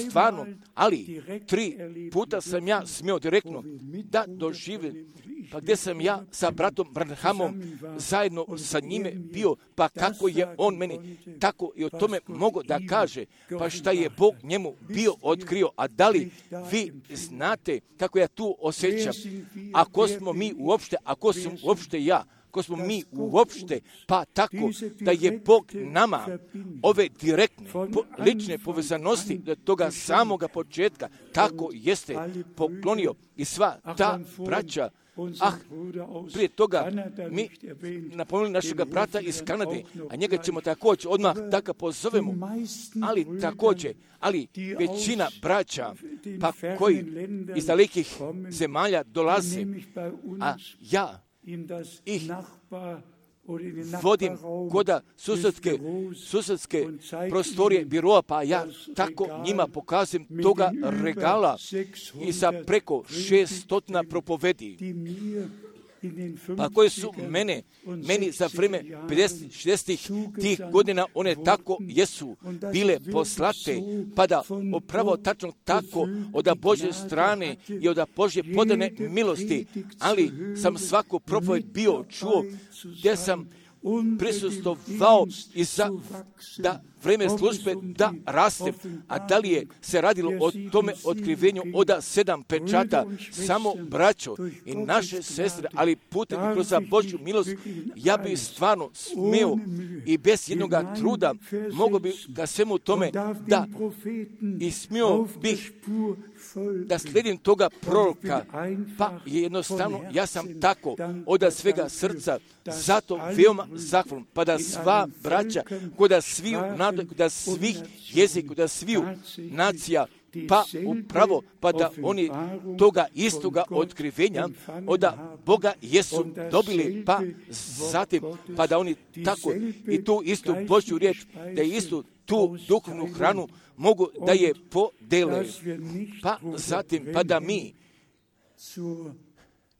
stvarno, ali tri puta sam ja smio direktno da doživim, pa gdje sam ja sa bratom Branhamom zajedno sa njime bio, pa kako je on meni tako i o tome mogo da kaže, pa šta je Bog njemu bio otkrio, a da li vi znate kako ja tu osjećam, ako smo mi uopšte, ako sam uopšte ja, ako smo mi uopšte, pa tako da je Bog nama ove direktne, po, lične povezanosti do toga samoga početka, tako jeste poklonio i sva ta braća. Ah, prije toga mi napomenuli našega brata iz Kanade, a njega ćemo također odmah da ga pozovemo, ali također, ali većina braća, pa koji iz dalekih zemalja dolaze, a ja ih vodim koda susedske, susedske prostorije biroa, pa ja tako njima pokazujem toga regala i sa preko šeststotina propovedi, pa koje su mene, meni za vrijeme pedeset šezdeset tih godina, one tako jesu bile poslate, pa da upravo tačno tako od Božje strane i od Božje podane milosti, ali sam svaku propoved bio čuo, gdje sam prisustvovao i za da vrijeme službe da raste, a da li je se radilo o tome otkrivenju od sedam pečata, samo braćo i naše sestre, ali putem kroz Božju milost, ja bi stvarno smio i bez jednoga truda mogo bi ga svemu tome da i smio bih da slijedim toga proroka, pa je jednostavno, ja sam tako od svega srca zato veoma zahvalan, pa da sva braća, koda sviju naroda, da svih jezika, da sviju nacija, pa upravo, pa da oni toga istoga otkrivenja od Boga jesu dobili, pa zatim, pa da oni tako i tu istu Božju riječ, da je istu tu duhovnu hranu mogu da je podele, pa zatim, pa da mi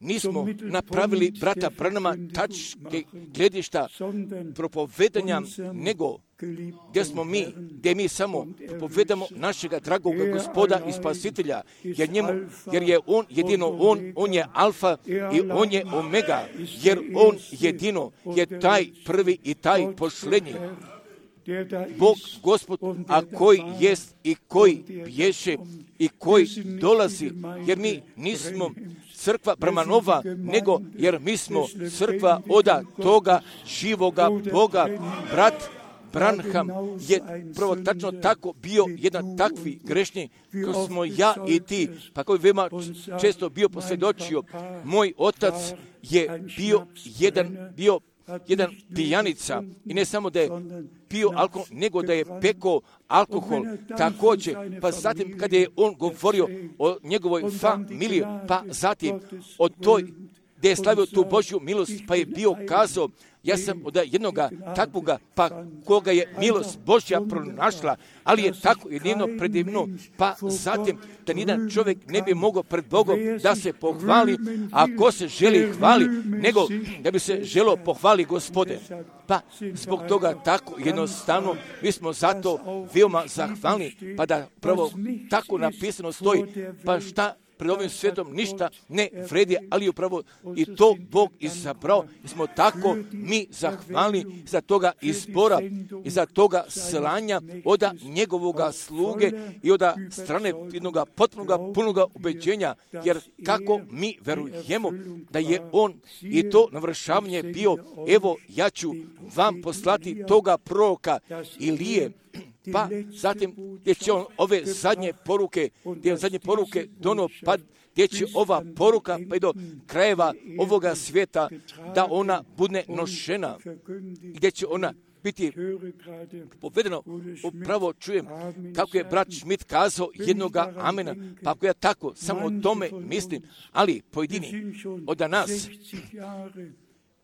nismo napravili, brata Branhama, tačke gledišta propovedanja, nego gdje smo mi, gdje mi samo propovedamo našega dragoga Gospoda i Spasitelja, jer, njemu, jer je On jedino On, On je alfa i On je omega, jer On jedino je taj prvi i taj pošlenji. Bog, Gospod, a koji jest i koji bješe i koji dolazi, jer mi nismo crkva Bramanova, nego jer mi smo crkva oda toga živoga Boga. Brat Branham je prvo tačno tako bio jedan takvi grešni, ko smo ja i ti, pa koji veoma često bio posvjedočio. Moj otac je bio jedan, bio jedan pijanica i ne samo da je pio alkohol, nego da je pekao alkohol također. Pa zatim kada je on govorio o njegovoj familiji, pa zatim o toj gdje je slavio tu Božju milost, pa je bio kazao, ja sam od jednoga takvoga, pa koga je milost Božja pronašla, ali je tako jedino predivno, pa zatim da nijedan čovjek ne bi mogao pred Bogom da se pohvali, a ko se želi hvali, nego da bi se želo pohvali Gospode. Pa zbog toga tako jednostavno mi smo zato veoma zahvalni, pa da prvo tako napisano stoji, pa šta pred ovim svijetom ništa ne vredi, ali upravo i to Bog izabrao. I smo tako mi zahvalni za toga izbora i za toga slanja od njegovoga sluge i od strane jednoga potpunoga punoga ubeđenja, jer kako mi verujemo da je on i to navršavanje bio, evo ja ću vam poslati toga proroka Ilije, pa zatim gdje će on ove zadnje poruke, gdje on zadnje poruke dono, pa gdje će ova poruka pa i do krajeva ovoga svijeta da ona bude nošena, gdje će ona biti povedeno. Upravo čujem kako je brat Schmidt kazao jednoga amena, pa ako ja tako samo o tome mislim, ali pojedini od nas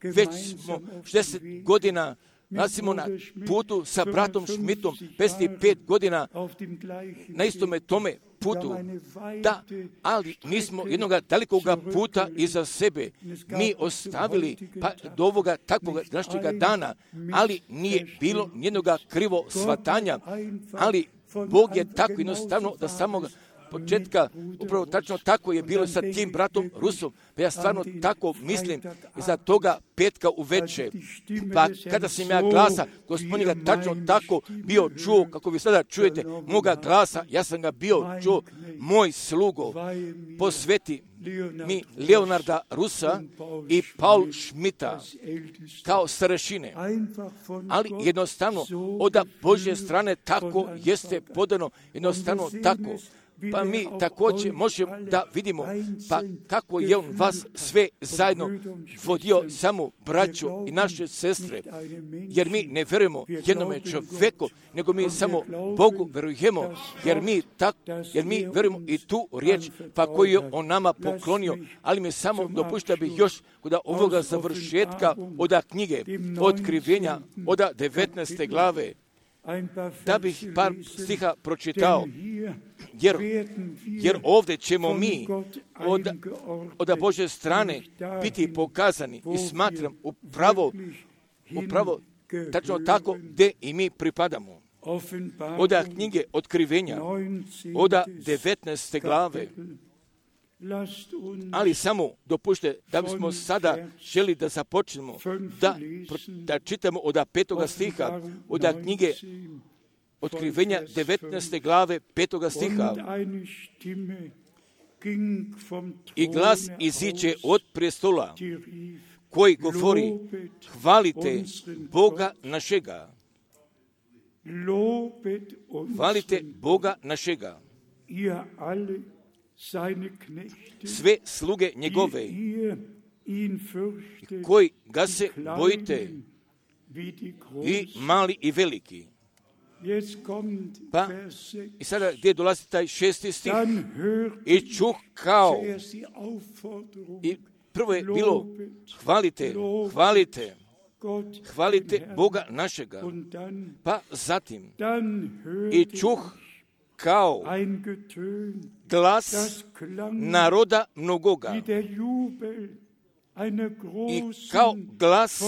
već smo šezdeset godina nalazimo na putu sa bratom Schmidtom, pedeset pet godina na istome tome putu, da, ali nismo jednoga dalikoga puta iza sebe mi ostavili pa do ovoga takvoga današnjega dana, ali nije bilo jednoga krivo shvatanja, ali Bog je tako jednostavno da samoga početka, upravo tačno tako je bilo sa tim bratom Rusom, pa ja stvarno tako mislim za toga petka uveče, pa kada sam ja glasa Gospodina tačno tako bio čuo, kako vi sada čujete moga glasa, ja sam ga bio čuo, moj slugo, posveti mi Leonarda Rusa i Paul Schmidta kao starešine, ali jednostavno od Božje strane tako jeste podano, jednostavno tako. Pa mi također možemo da vidimo pa kako je on vas sve zajedno vodio, samo braću i naše sestre, jer mi ne verujemo jednome čovjeku, nego mi samo Bogu verujemo, jer mi, tak, jer mi verujemo i tu riječ pa koju je on nama poklonio, ali mi samo dopušta bih još kod ovoga završetka od knjige Otkrivenja od devetnaeste glave, da bih par stiha pročitao. jer, jer ovdje ćemo mi od, od Božje strane biti pokazani i smatram upravo, upravo tačno tako gdje i mi pripadamo. Od knjige Otkrivenja, od devetnaeste glave. Ali samo dopušte da bismo sada želi da započnemo, da, da čitamo od petoga stiha, od knjige Otkrivenja devetnaeste glave, petoga stiha. I glas iziđe od prestola, koji govori, hvalite Boga našega. Hvalite Boga našega. Sve sluge njegove, koji ga se bojite, i mali i veliki. Pa, i sada gdje dolazi taj šesti stih? I čuh kao, i prvo je bilo, hvalite, hvalite, hvalite Boga našega. Pa zatim, i čuh kao glas naroda mnogoga i kao glas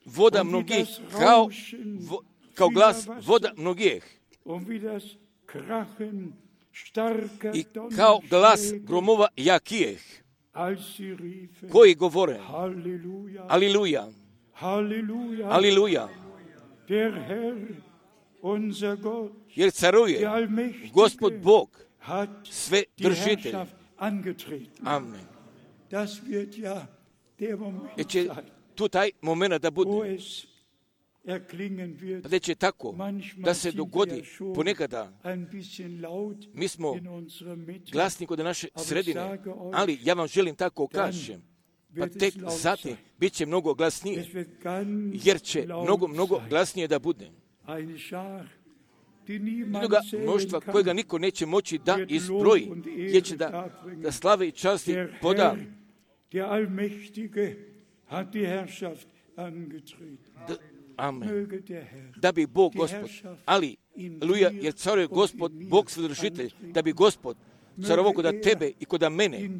voda mnogih, kao, vo, kao glas voda mnogih i kao glas gromova jakijeh, koji govore, Aliluja, Aliluja, jer caruje Gospod Bog, sve držitelj. Amen. Jer će tu taj moment da bude, da će tako da se dogodi ponekada. Mi smo glasni kod naše sredine, ali ja vam želim tako kažem, pa tek zatim bit će mnogo glasnije, jer će mnogo, mnogo glasnije da bude. Jednoga mnoštva kojega niko neće moći da izbroji, jer će da, da slave i časti poda. Da, amen. Da bi Bog Gospod, ali, Luja, jer caruje Gospod, Bog svedržitelj, da bi Gospod carovo koda tebe i koda mene,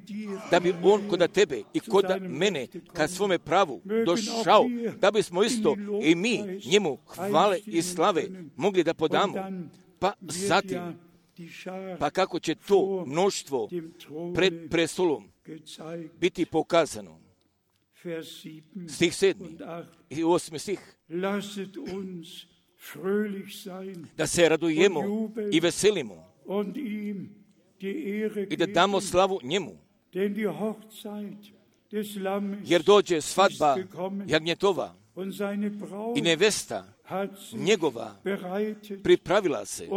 da bi on koda tebe i koda mene kad svome pravu došao, da bismo isto i mi njemu hvale i slave mogli da podamo. Pa zatim, pa kako će to mnoštvo pred prestolom biti pokazano. Stih sedmi i osmi stih. Da se radujemo i veselimo i da damo slavu njemu. Jer dođe svadba jagnjetova i nevesta njegova pripravila se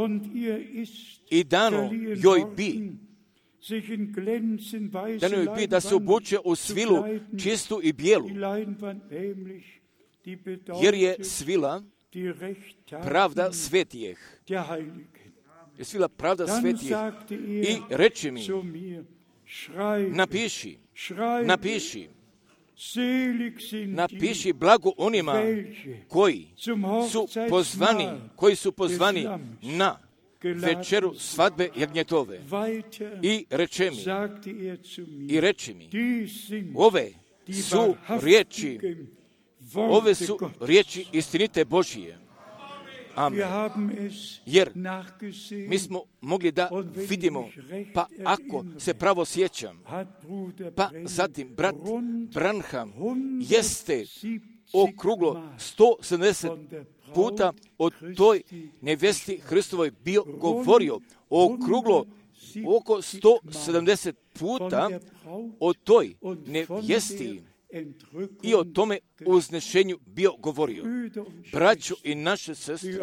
i dano joj bi, dano joj bi da se obuče u svilu čistu i bijelu, jer je svila pravda svetijeh. Je svila pravda svetijeh. I reče mi, napiši, napiši, napiši blago onima koji su pozvani, koji su pozvani na večeru svadbe jagnjetove. I reče mi, i reče mi, ove su riječi, ove su riječi istinite Božije. Amen. Jer mi smo mogli da vidimo, pa ako se pravo sjećam, pa zatim brat Branham jeste okruglo sto sedamdeset puta o toj nevesti Hristovoj bio govorio, okruglo oko sto sedamdeset puta o toj nevesti i o tome uznešenju bio govorio. Braćo i naše sestre,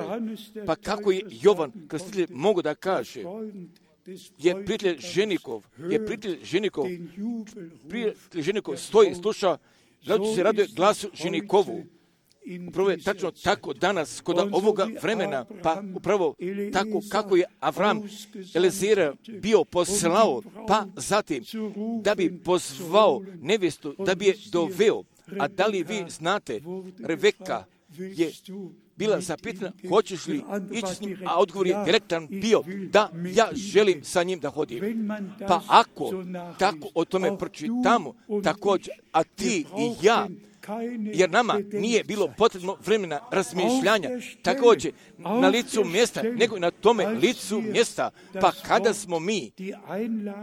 pa kako je Jovan Krstitelj mogo da kaže, je prijatelj ženikov, je prijatelj ženikov, prijatelj ženikov stoji i sluša, gledajući se raduje glasu ženikovu. Upravo je tačno tako danas, kod ovoga vremena, pa upravo tako kako je Avram Elizera bio poslao, pa zatim da bi pozvao nevjestu, da bi je doveo. A da li vi znate, Rebeka je bila zapitana hoćeš li ići s njim, a odgovor je direktan bio da ja želim sa njim da hodim. Pa ako tako o tome pročitamo također, a ti i ja, jer nama nije bilo potrebno vremena razmišljanja također na licu mjesta, nego na tome licu mjesta. Pa kada smo mi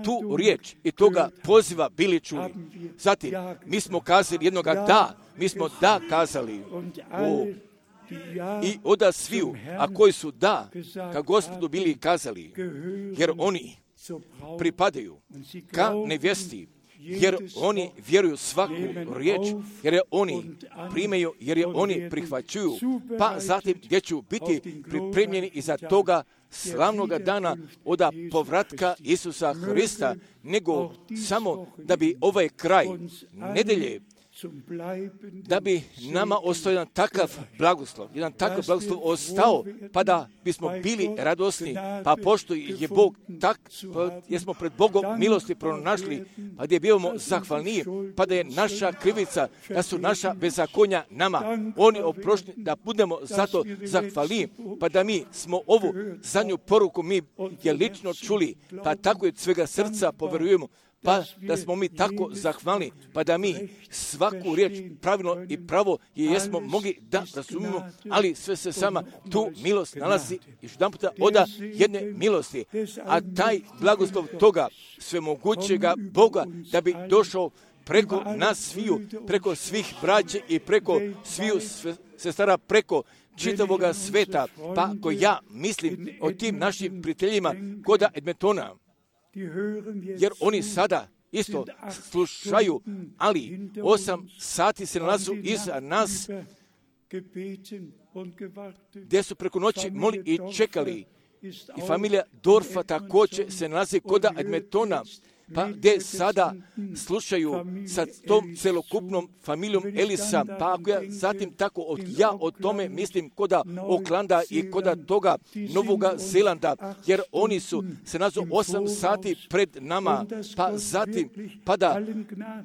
tu riječ i toga poziva bili čuli, zatim mi smo kazali jednoga da, mi smo da kazali. O, i oda sviju, a koji su da, ka Gospodu bili kazali, jer oni pripadaju ka nevjesti, jer oni vjeruju svaku riječ, jer oni primaju, jer je oni prihvaćuju, pa zatim gdje ću biti pripremljeni iza toga slavnoga dana oda povratka Isusa Hrista, nego samo da bi ovaj kraj nedelje, da bi nama ostao jedan takav blagoslov, jedan takav blagoslov ostao, pa da bismo bili radosni, pa pošto je Bog tak, pa jesmo pred Bogom milosti pronašli, pa gdje bivamo zahvalniji, pa da je naša krivica, da su naša bezakonja nama, oni oprošni, da budemo zato zahvalniji, pa da mi smo ovu zadnju poruku mi je lično čuli, pa tako je svega srca poverujemo, pa da smo mi tako zahvalni, pa da mi svaku riječ pravilno i pravo je jesmo mogli da razumimo, ali sve se sama tu milost nalazi još jedan puta oda jedne milosti, a taj blagoslov toga svemogućega Boga da bi došao preko nas sviju, preko svih braće i preko sviju sestara, preko čitavoga sveta, pa ako ja mislim o tim našim prijateljima koda Edmontona, jer oni sada isto slušaju, ali osam sati se nalazu iza nas, gdje su preko noći moli i čekali. I familija Dorfa također se nalazi koda Edmontona, pa gdje sada slušaju sa tom celokupnom familijom Elisa, pa ako ja zatim tako od, ja o tome mislim koda Oklanda i koda toga Novoga Zelanda, jer oni su se nalazu osam sati pred nama, pa zatim, pa da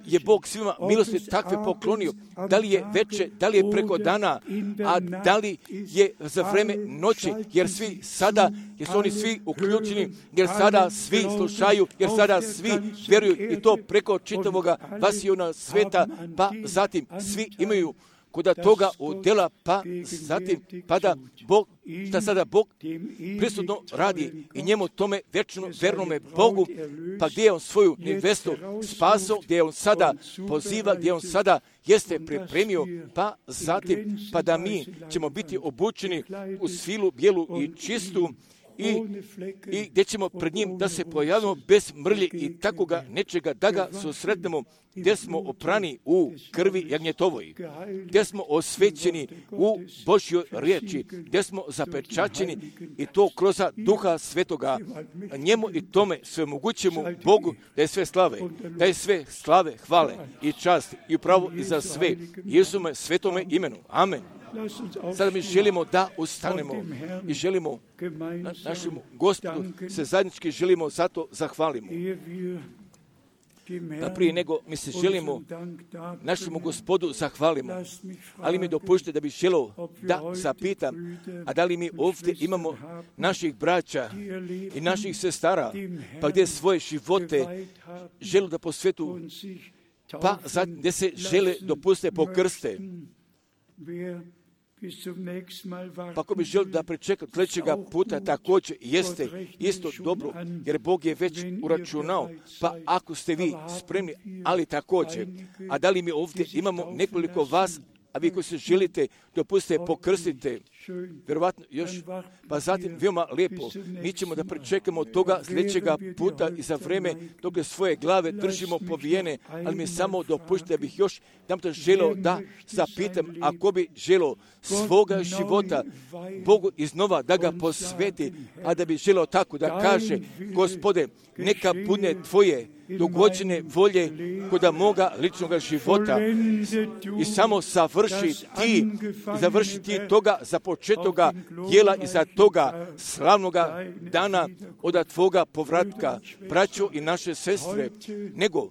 je Bog svima milosti takve poklonio, da li je veče, da li je preko dana, a da li je za vreme noći, jer svi sada, jer su oni svi uključeni, jer sada svi slušaju, jer sada svi vjeruju i to preko čitavoga vasiona sveta, pa zatim svi imaju koda toga udjela, pa zatim pa da Bog, šta sada Bog prisutno radi i njemu tome vječno vernome Bogu, pa gdje je on svoju nevestu spasao, gdje je on sada poziva, gdje on sada jeste pripremio, pa zatim pa da mi ćemo biti obučeni u svilu bijelu i čistu, I, i gdje ćemo pred njim da se pojavimo bez mrlje i takoga nečega, da ga susretnemo, gdje smo oprani u krvi jagnjetovoj, gdje smo osvećeni u Božjoj riječi, gdje smo zapečaćeni i to kroz Duha Svetoga, njemu i tome svemogućemu Bogu da je sve slave, da je sve slave, hvale i čast i upravo i za sve Jesome svetome imenu. Amen. Sada mi želimo da ustanemo i želimo na našemu Gospodu se zajednički želimo zato zahvalimo. Da prije nego mi se želimo našemu Gospodu zahvalimo, ali mi dopušte da bih želio da zapitam, a da li mi ovdje imamo naših braća i naših sestara, pa gdje svoje živote žele da posvetu, pa zatim gdje se žele dopuste pokrste. Pa ako bi želio da pričekam sljedećega puta, također jeste isto dobro, jer Bog je već uračunao, pa ako ste vi spremni, ali također, a da li mi ovdje imamo nekoliko vas, a vi koji se želite dopustite pokrstite, vjerovatno još, pa zatim veoma lijepo, mi ćemo da pričekamo toga sljedećega puta i za vreme dok svoje glave držimo povijene, ali mi samo dopušte da bih još nam to želio da zapitam, ako bi želio svoga života Bogu iznova da ga posveti, a da bi želio tako da kaže, Gospode, neka bude tvoje dogođene volje koda moga ličnog života i samo savrši ti, završi ti toga za početoga djela i za toga slavnoga dana od tvoga povratka, braćo i naše sestre, nego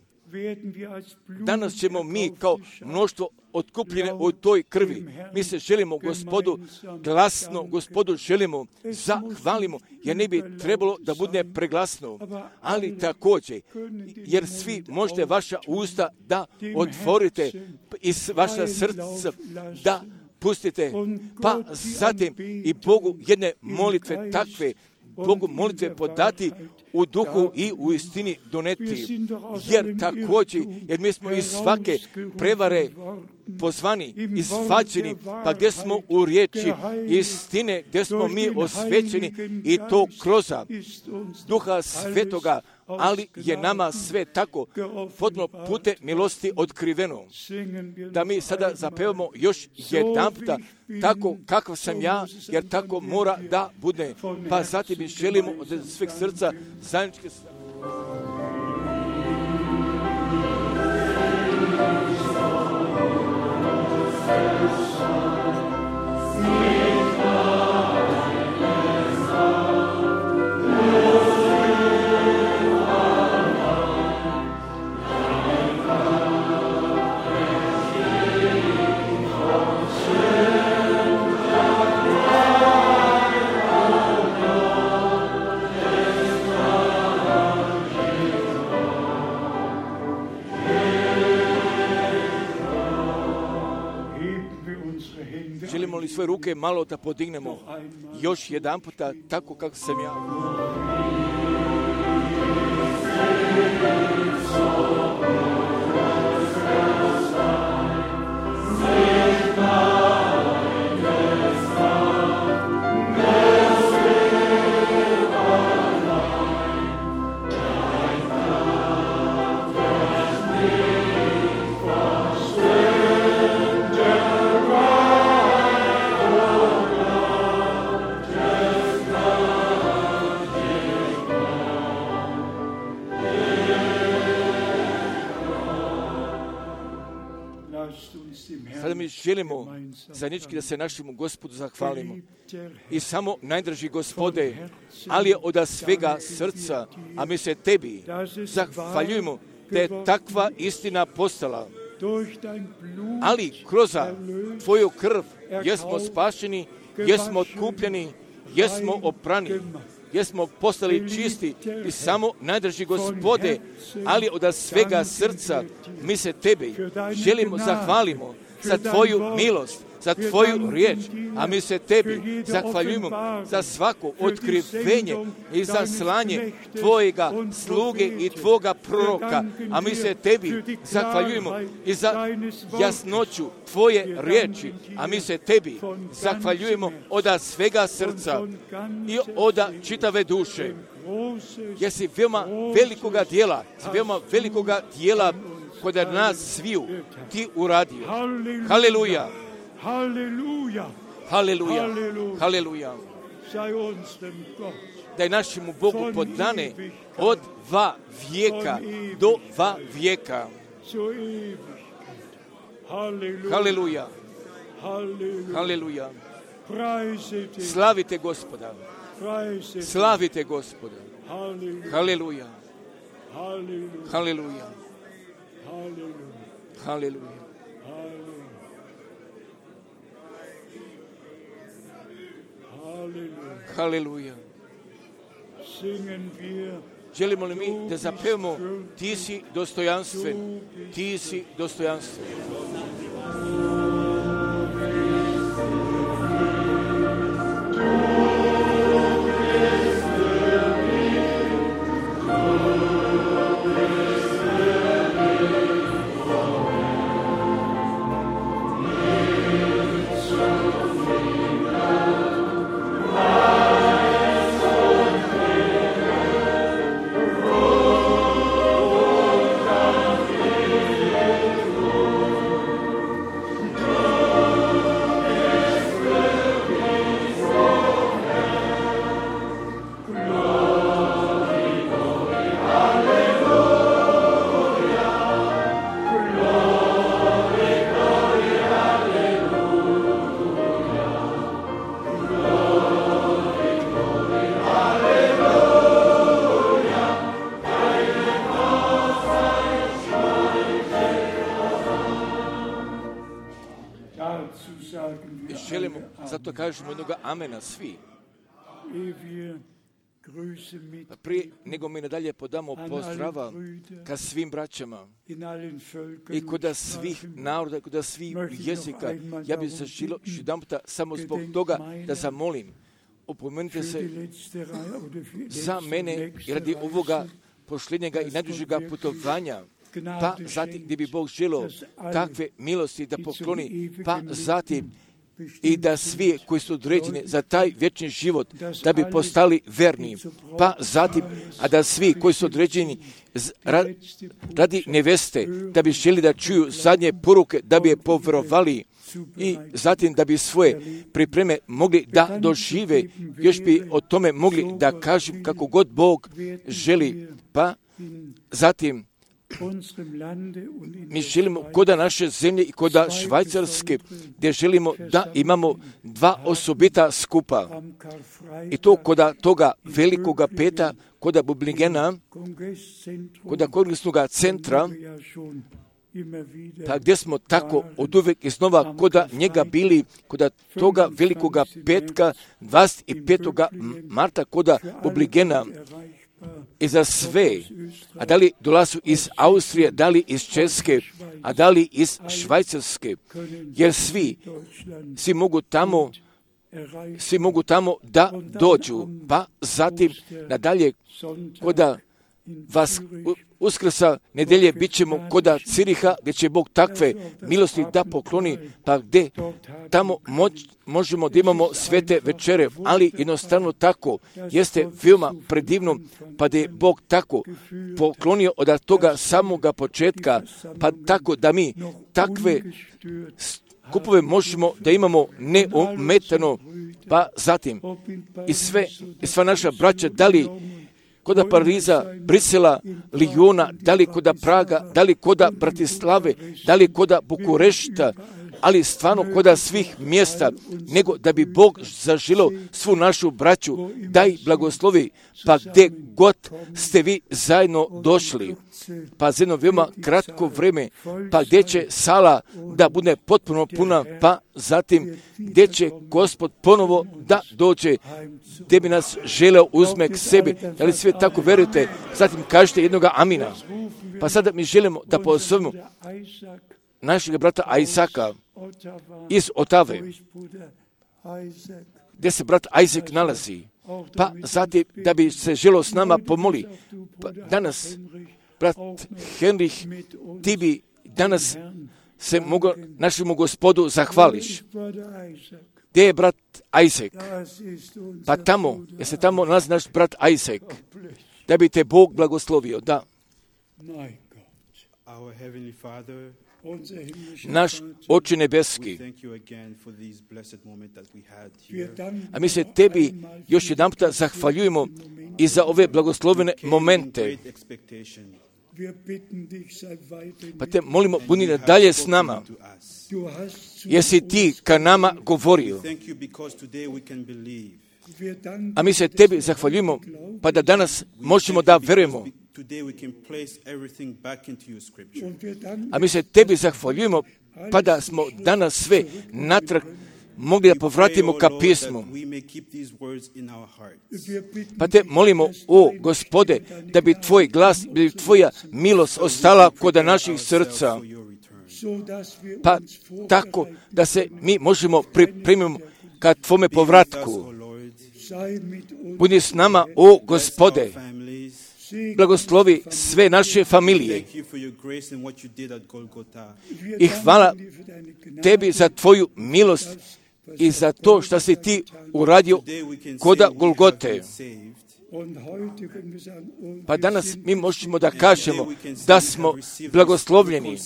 Danas ćemo mi kao mnoštvo otkupljene u toj krvi. Mi se želimo Gospodu glasno, Gospodu želimo, zahvalimo, jer ne bi trebalo da bude preglasno. Ali također, jer svi možete vaša usta da otvorite i vaša srca da pustite, pa zatim i Bogu jedne molitve takve, Bogu molitve podati u duhu i u istini doneti. Jer također, jer mi smo iz svake prevare pozvani, izvađeni, pa gdje smo u riječi istine, gdje smo mi osvećeni i to kroz Duha Svetoga, ali je nama sve tako potpuno pute milosti otkriveno. Da mi sada zapevamo još jedan puta tako kakav sam ja, jer tako mora da bude. Pa zatim mi želimo od sveg srca zajedničke želimo li svoje ruke malo da podignemo još jedan puta tako kako sam ja. Sada mi želimo zajednički da se našemu Gospodu zahvalimo. I samo najdraži Gospode, ali je od svega srca, a mi se tebi zahvaljujemo da je takva istina postala. Ali kroz tvoju krv jesmo spašeni, jesmo otkupljeni, jesmo oprani, jesmo postali čisti i samo najdraži Gospode, ali od svega srca mi se tebi želimo zahvalimo za tvoju milost, za tvoju riječ, a mi se tebi zahvaljujemo za svako otkrivenje i za slanje tvojega sluge i tvoga proroka, a mi se tebi zahvaljujemo i za jasnoću tvoje riječi, a mi se tebi zahvaljujemo od svega srca i od čitave duše. Jer si veoma velikoga dijela, si veoma velikoga dijela kod nas sviju ti uradio. Haleluja! Halleluja! Haleluja! Haleluja! Da je našemu Bogu podane od dva vijeka do dva vijeka. Haleluja! Haleluja! Slavite Gospoda! Slavite Gospoda! Haleluja! Haleluja! Haleluja! Haleluja! Želimo li mi da zapevamo ti si dostojanstven, ti si dostojanstven. želimo, zato kažemo jednoga amena svi. Prije nego mi nadalje podamo pozdrava ka svim braćama i kod svih naroda, kod svih jezika, ja bih se želio jedan puta samo zbog toga da zamolim. Opomenite se za mene i radi ovoga posljednjega i najdužega putovanja, pa zatim gdje bi Bog želio takve milosti da pokloni, pa zatim i da svi koji su određeni za taj vječni život, da bi postali verni, pa zatim, a da svi koji su određeni radi neveste, da bi želi da čuju zadnje poruke, da bi je povjerovali i zatim da bi svoje pripreme mogli da dožive, još bi o tome mogli da kažu kako god Bog želi, pa zatim mi želimo koda naše zemlje i koda Švajcarske, gdje želimo da imamo dva osobita skupa. I to koda toga velikoga peta, koda Bubligena, koda kongresnog centra, pa gdje smo tako od uvijek iznova koda njega bili, koda toga velikoga petka, dvadeset petog marta, koda Bubligena, i za sve, a da li dolazu iz Austrije, da li iz Česke, a da li iz Švajcarske, jer svi, svi mogu tamo, svi mogu tamo da dođu, pa zatim nadalje, koda vas Uskrsa nedelje bit ćemo koda Ciriha, gdje će Bog takve milosti da pokloni, pa gdje tamo moć, možemo da imamo svete večere, ali jednostavno tako jeste veoma predivno, pa da je Bog tako poklonio od toga samoga početka, pa tako da mi takve skupove možemo da imamo neometano, pa zatim i sve, i sva naša braća, da li koda Pariza, Brisela, Lijona, da li koda Praga, da li koda Bratislave, da li koda Bukurešta, ali stvarno koda svih mjesta, nego da bi Bog zaželio svu našu braću, daj blagoslovi, pa gdje god ste vi zajedno došli, pa za jedno veoma kratko vrijeme, pa gdje će sala da bude potpuno puna, pa zatim gdje će Gospod ponovo da dođe, gdje bi nas želeo uzme k sebi, da li sve tako verujete, zatim kažete jednoga amina. Pa sada mi želimo da pozovemo našeg brata Isaka iz Otave, gdje se brat Isaac nalazi, pa zatim da bi se želio s nama pomoli. Pa danas, brat Henrich, ti bi danas se mogo, našemu Gospodu zahvališ. Gdje je brat Isaac? Pa tamo, jer se tamo nalazi naš brat Isaac, da bi te Bog blagoslovio, da. Naš Oče nebeski, a mi se tebi još jedan puta zahvaljujemo i za ove blagoslovene momente. Pa te molimo, budi nadalje s nama, jer si ti ka nama govorio. A mi se tebi zahvaljujemo, pa da danas možemo da verujemo. A mi se tebi zahvaljujemo, pa da smo danas sve natrag mogli da povratimo ka pismu. Pa te molimo, o Gospode, da bi tvoj glas, da bi tvoja milost ostala kod naših srca. Pa tako da se mi možemo pripremiti ka tvome povratku. Budi s nama, o Gospode. Blagoslovi sve naše familije. I hvala tebi za tvoju milost i za to što si ti uradio koda Golgote. Pa danas mi možemo da kažemo da smo blagoslovljeni.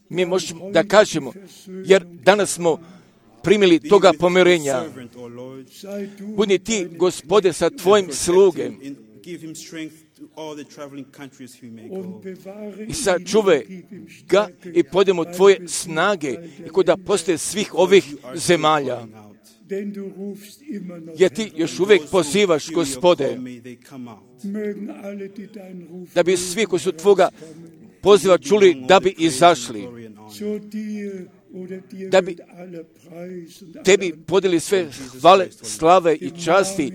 Mi možemo da kažemo, jer danas smo primili toga pomirenja. Budi ti, Gospode, sa tvojim slugem i sačuvaj ga i podemo tvoje snage i koda postoje svih ovih zemalja. Jer ti još uvijek pozivaš, Gospode, da bi svi koji su tvoga poziva čuli da bi izašli da bi tebi podijeli sve hvale, slave i časti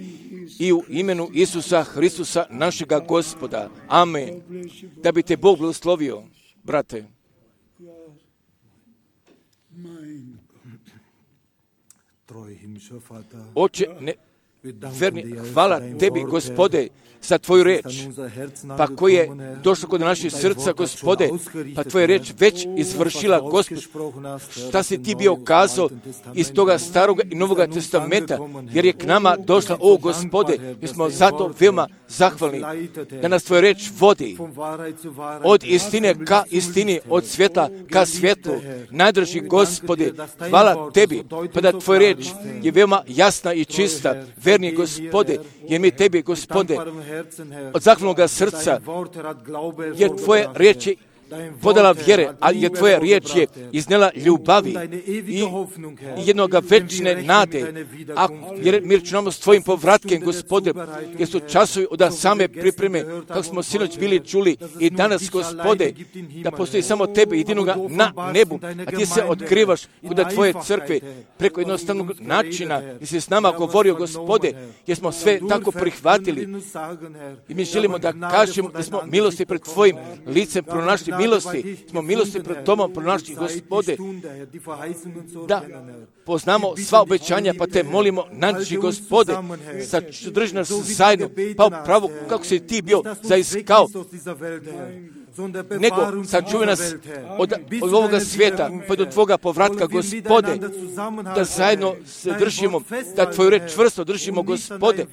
i u imenu Isusa Hristusa, našega Gospoda. Amen. Da bi te Bog blagoslovio, brate. Oče, ne, verni, hvala tebi, Gospode, za tvoju reč, pa koji je došlo kod naših srca, Gospode, pa tvoja reč već izvršila, Gospod, šta si ti bio kazao iz toga staroga i novoga testamenta, jer je k nama došla, o Gospode, mi smo zato veoma zahvalni, da nas tvoja reč vodi od istine ka istini, od svjetla ka svjetlu. Najdrži, Gospode, hvala tebi, pa da tvoja reč je veoma jasna i čista, verni, Gospode, jer mi tebi, Gospode, od zahvalnoga srca, jer tvoje riječi podala vjere, ali je tvoja riječ je iznela ljubavi i jednoga večne nade. A jer mi računamo s tvojim povratkem, Gospode, jer su časovi od same pripreme, kako smo sinoć bili čuli i danas, Gospode, da postoji samo tebe, jedinoga na nebu, a ti se otkrivaš kod tvoje crkve preko jednostavnog načina, jer si s nama govorio, Gospode, jer smo sve tako prihvatili. I mi želimo da kažemo da smo milosti pred tvojim licem pronašli, milosti, smo milosti pred Tomom pronašli, Gospode, da poznamo sva obećanja, pa te molimo, nađi, Gospode, sadrži nas zajedno, pa upravo kako si ti bio zaiskao, nego sačuvaj nas od, od ovoga svijeta, pa do tvoga povratka, Gospode, da zajedno se držimo, da tvoju reč čvrsto držimo, Gospode,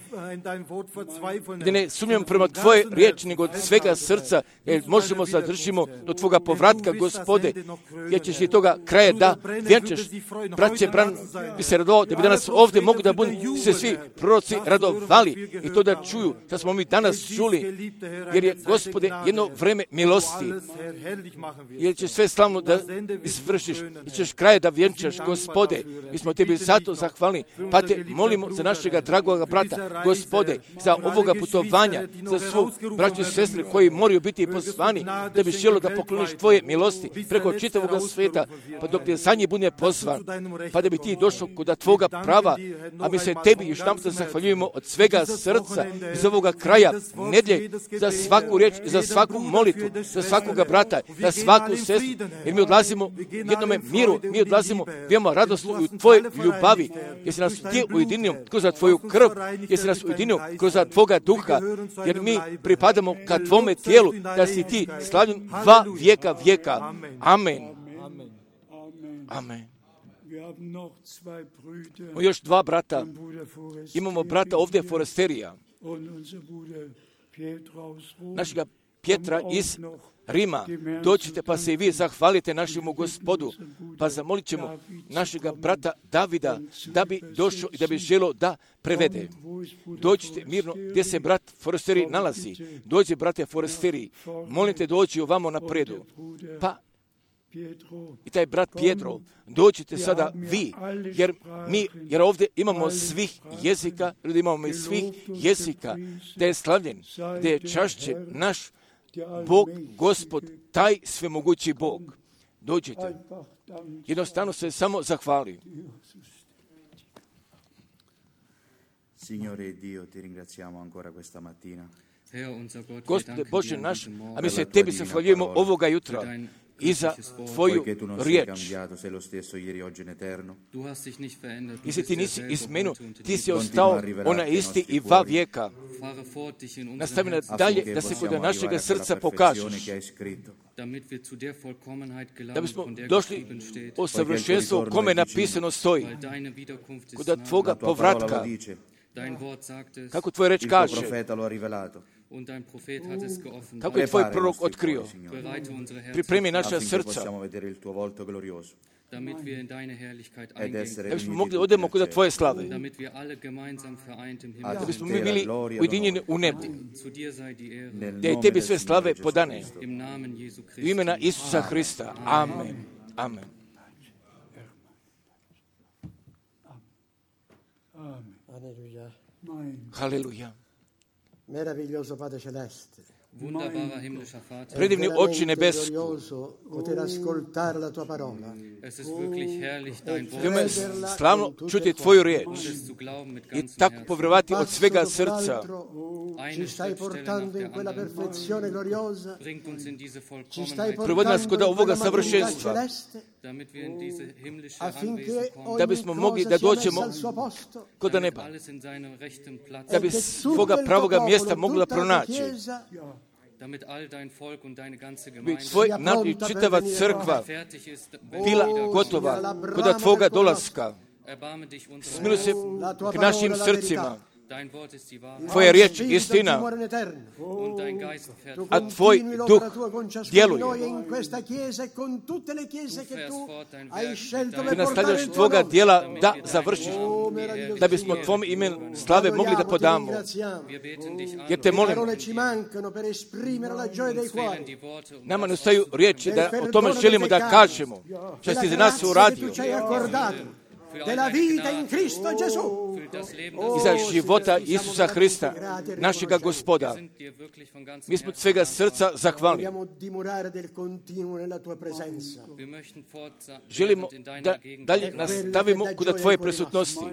da ne sumnjamo prema tvoje riječi, nego od svega srca, jer možemo se držimo do tvoga povratka, Gospode, jer ćeš ti toga kraja da vjenčeš. Braće, bran, bi se radovao da bi danas ovdje mogu da budu se svi proroci radovali i to da čuju što smo mi danas čuli, jer je, Gospode, jedno vreme milosti, jer ćeš sve slavno da izvršiš i ćeš kraje da vjenčaš, Gospode. Mi smo tebi zato zahvalni, pa te molimo za našega dragoga brata, Gospode, za ovoga putovanja, za svu braću i sestre koji moraju biti pozvani, da bi želo da pokloniš tvoje milosti preko čitavog svijeta, pa dok te za njih bude pozvan, pa da bi ti došao kod tvoga prava, a mi se tebi još nam se zahvaljujemo od svega srca iz ovoga kraja nedlje za svaku riječ i za svaku molitvu, za svakoga brata, za svaku sestru, jer mi odlazimo jednome miru, mi odlazimo veoma radosno u tvojoj ljubavi, jer si nas ti ujedinio kroz tvoju krv, jer si nas ujedinio kroz tvoga duha, jer mi pripadamo ka tvome tijelu, da si ti slavljen dva vijeka vijeka. Amen. Amen. Imamo još dva brata. Imamo brata ovdje Foresterija, našega Pjetra iz Rima. Dođite pa se i vi zahvalite našemu Gospodu, pa zamolit ćemo našega brata Davida da bi došao i da bi želo da prevede. Dođite mirno gdje se brat Foresteri nalazi. Dođe, brate Foresteri, molite dođi ovamo napredu. Pa i taj brat Pietro, dođite sada vi, jer mi, jer ovdje imamo svih jezika, ljudi imamo i svih jezika, da je slavljen, da je čašće naš Bog, Gospod, taj svemogući Bog. Dođite. Jednostavno se samo zahvali. Signore Dio, ti ringraziamo ancora questa mattina. Gospode Bože naš, a mi se tebi zahvaljujemo ovoga jutra i za tvoju riječ. Jesi ti nisi izmenuo, ti si ostao ona isti i dva vijeka. Nastavi dalje da se kod našega srca pokažeš, da bismo došli o savršenstvu kome napisano stoji, kod tvoga povratka, kako tvoj reč kaže, kako je tvoj prorok otkrio. Pripremi naša srca, da bismo mogli odemo kod tvoje slave, da bismo mi bili ujedinjeni u nebu, da je tebi sve slave podane. U imena Isusa Hrista. Amen. Amen. Alleluia. Haleluja. Meraviglioso Padre Celeste. Predivni Oče nebeski, veoma je slavno čuti Tvoju riječ i tako povjerovati od svega srca. Privodi nas kod ovoga savršenstva, da bismo mogli da dođemo kod neba, da bi svoga pravoga mjesta mogla pronaći. Bi tvoj narod i čitava crkva bila gotova kod Tvoga dolaska. Smiluj se k našim srcima. Tvoja riječ je istina, a Tvoj duh djeluje. Ti nastavljaš Tvoga djela da završiš, da bismo Tvom imenu slave mogli da podamo. Jer te molim, nama ne ostaju riječi da o tome želimo da kažemo, što si za nas uradio. Della vita in Cristo Gesù. I za života Isusa Hrista, našega Gospoda. Mi smo od svega srca zahvalni. Želimo da dalje nastavimo kod Tvoje prisutnosti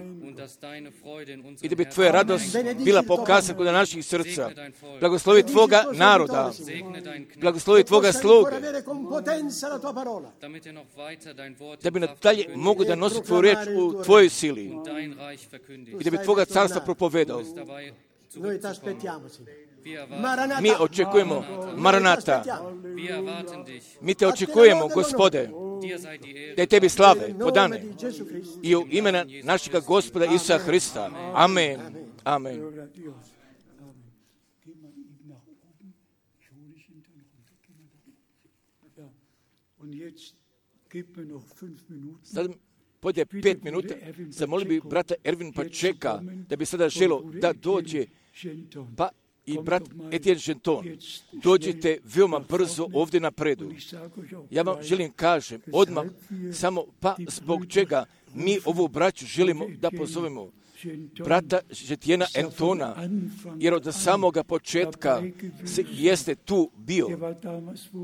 i da bi Tvoja radost bila pokazana kod naših srca. Blagoslovi Tvoga naroda, blagoslovi Tvoga sluge, da bi nadalje mogu da nosi Tvoju riječ u Tvojoj sili i da bi Tvoga carstva propovedao. Mi očekujemo, Maranata, mi Te očekujemo, Gospode, da je Tebi slave podane i u imena našega Gospoda Isusa Hrista. Amen. Amen. Sad podje pet minuta, zamolio bi brata Ervin pa čeka, da bi sada želo da dođe, pa i brat Etienne Genton, dođite veoma brzo ovdje napredu. Ja vam želim kažem, odmah, samo pa zbog čega mi ovu braću želimo da pozovemo. Brata Etiennea Antona, jer od samoga početka jeste tu bio,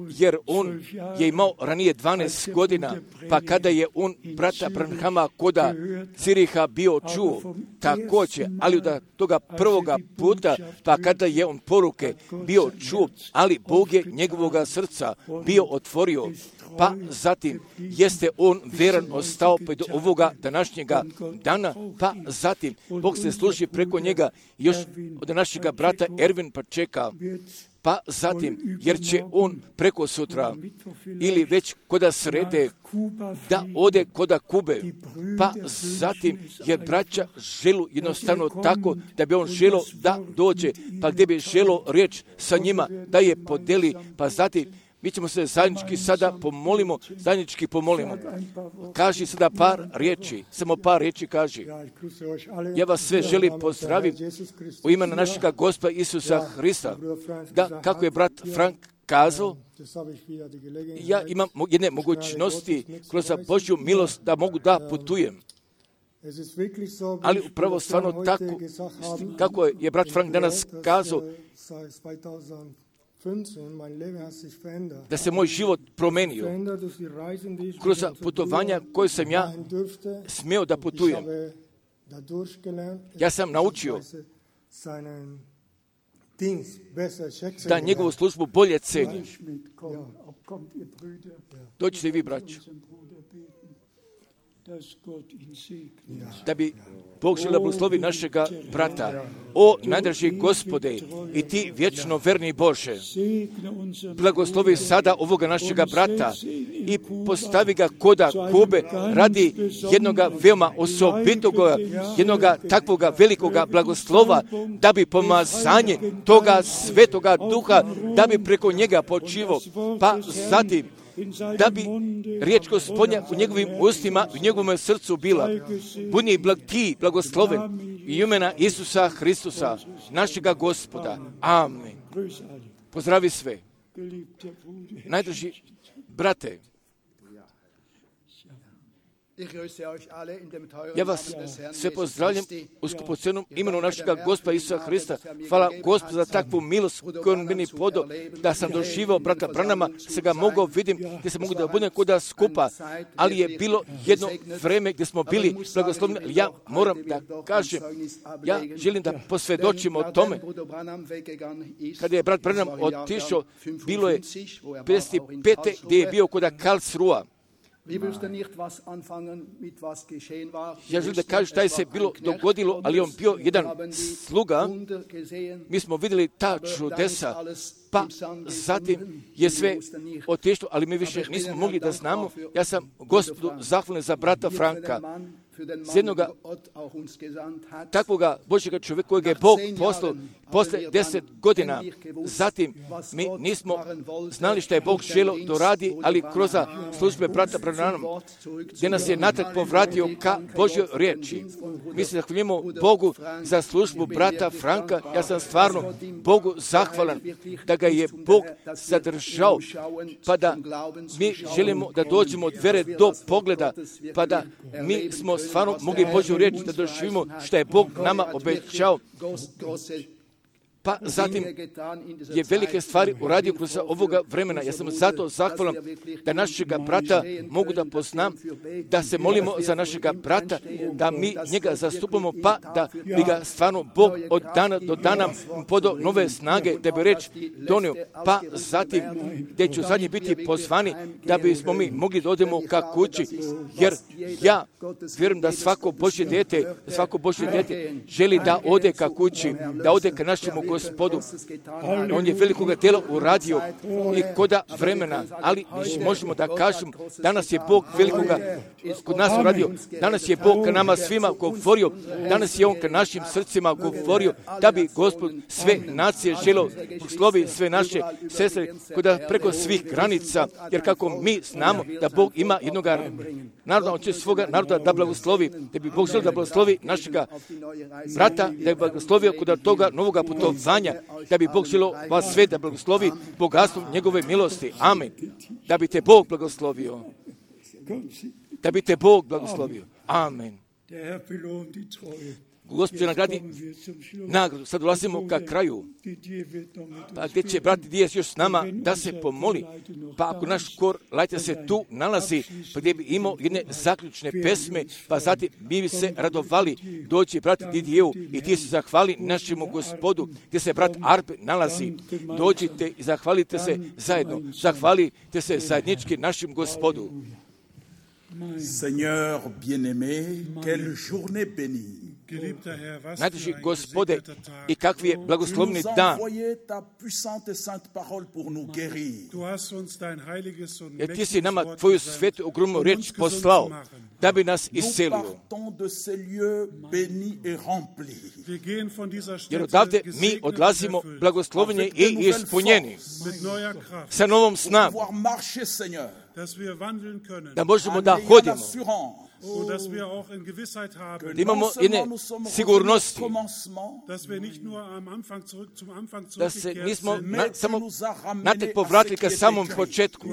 jer on je imao ranije dvanaest godina, pa kada je on brata Branhama koda Ciriha bio čuo, također, ali od toga prvoga puta, pa kada je on poruke bio čuo, ali Bog je njegovoga srca bio otvorio, pa zatim jeste on veran ostao pa do ovoga današnjega dana, pa zatim Bog se služi preko njega još od našega brata Ervin pa čeka, pa zatim, jer će on preko sutra ili već koda srede da ode koda Kube, pa zatim jer braća želu jednostavno tako da bi on želo da dođe, pa gdje bi želo riječ sa njima da je podeli, pa zatim mi ćemo se zajednički sada pomolimo, zajednički pomolimo. Kaži sada par riječi, samo par riječi kaži. Ja vas sve želim pozdraviti u imenu našega Gospoda Isusa Hrista. Da, kako je brat Frank kazao, ja imam jedne mogućnosti kroz Božju milost da mogu da putujem. Ali upravo stvarno tako, kako je brat Frank danas kazao, da se moj život promenio kroz putovanja koje sam ja smio da putujem. Ja sam naučio da njegovu službu bolje ceni. Dođite i vi, braćo. Da bi Bog želio blagoslovi našega brata. O najdraži Gospode i Ti vječno verni Bože, blagoslovi sada ovoga našega brata i postavi ga koda Kube radi jednoga veoma osobitoga, jednoga takvoga velikoga blagoslova, da bi pomazanje toga svetoga duha, da bi preko njega počivo, pa zatim da bi riječ Gospodnja u njegovim ustima, u njegovom srcu bila. Budi blag, ti blagosloven i imena Isusa Hristusa, našega Gospoda. Amen. Pozdravi sve. Najdraži brate, Ja vas sve pozdravljam u skupocenom imenu našega Gospoda Isusa Hrista. Hvala Gospodu za takvu milost koju on meni podao, da sam doživao brata Branama, se ga mogao vidim, gdje se mogu da budem kuda skupa, ali je bilo jedno vreme gdje smo bili blagoslovni. Ja moram da kažem, ja želim da posvjedočim o tome. Kada je brat Branham otišao, bilo je pedeset pete gdje je bio kuda Karlsruhe. Ja želim da kažem šta je se bilo dogodilo, ali on bio jedan sluga. Mi smo vidjeli ta čudesa, pa zatim je sve otišlo, ali mi više nismo mogli da znamo. Ja sam Gospodu zahvalan za brata Franka, s jednoga takvoga Božjega čovjeka kojeg je Bog poslao posle deset godina. Zatim mi nismo znali što je Bog želio da radi, ali kroz službe brata Branhama, gdje nas je natrag povratio ka Božjoj riječi. Mi se zahvaljujemo Bogu za službu brata Franka. Ja sam stvarno Bogu zahvalan da ga je Bog zadržao, pa da mi želimo da dođemo od vere do pogleda, pa da mi smo stvarno mogli Božju riječ da doživimo što je Bog nama obećao. Pa zatim je velike stvari uradio kroz ovoga vremena. Ja sam zato zahvalan da našega brata mogu da poznam, da se molimo za našega brata, da mi njega zastupamo, pa da bi ga stvarno Bog od dana do dana podao nove snage, da bi reč donio. Pa zatim, gdje ću zadnji biti pozvani, da bismo mi mogli da odemo ka kući, jer ja vjerujem da svako Božje dete, svako Božje dete želi da ode ka kući, da ode ka našemu Gospodu. On je velikoga dela uradio i koda vremena, ali možemo da kažemo, danas je Bog velikoga kod nas uradio. Danas je Bog ka nama svima govorio, danas je On ka našim srcima govorio, da bi Gospod sve nacije želio slovi sve naše sestre, koda preko svih granica, jer kako mi znamo da Bog ima jednog naroda, On će svoga naroda da blagoslovi, da bi Bog želio da blagoslovi našega brata, da bi blagoslovio kod toga novoga putovanja, da bi Bog želio vas sve da blagoslovi bogatstvom njegove milosti. Amen. Da bi te Bog blagoslovio. Da bi te Bog blagoslovio. Amen. Gospod nagradi nagradu. Sad dolazimo ka kraju. Pa gdje će brat Dijes još s nama da se pomoli. Pa ako naš kor lajte se tu nalazi, pa gdje bi imao jedne zaključne pesme, pa zatim mi bi se radovali doći brat Didijevu i ti se zahvali našemu Gospodu, gdje se brat Arpe nalazi. Dođite i zahvalite se zajedno. Zahvalite se zajednički našem Gospodu. Seigneur bien-aimé, quelle journée bénie. Najdraži Gospode, i kakvi je blagoslovni dan. Jer ti si nama tvoju svetu ogromnu riječ poslao, da bi nas iscelio. Jer odavde mi odlazimo blagosloveni i ispunjeni, sa novom snagom, da možemo da hodimo, da imamo jedne sigurnosti, da se nismo na, samo natrag povratili ka samom početku,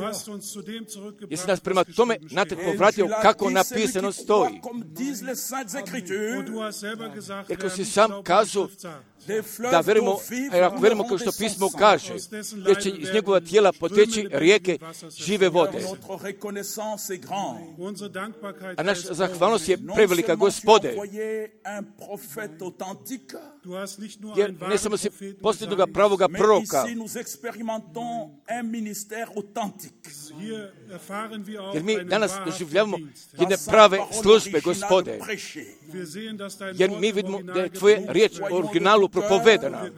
jer si nas prema tome natrag povratio kako napisano stoji. Jer kao si sam kazao da verimo, jer ako verimo kao što pismo kaže, jer će iz njegova tijela poteći rijeke žive vode. A naša zahvalnost je prevelika, Gospode, jer ne samo si posljednog pravoga proroka, jer mi danas doživljavamo jedne prave službe, Gospode, jer mi vidimo da je tvoje riječ u originalu propovedana,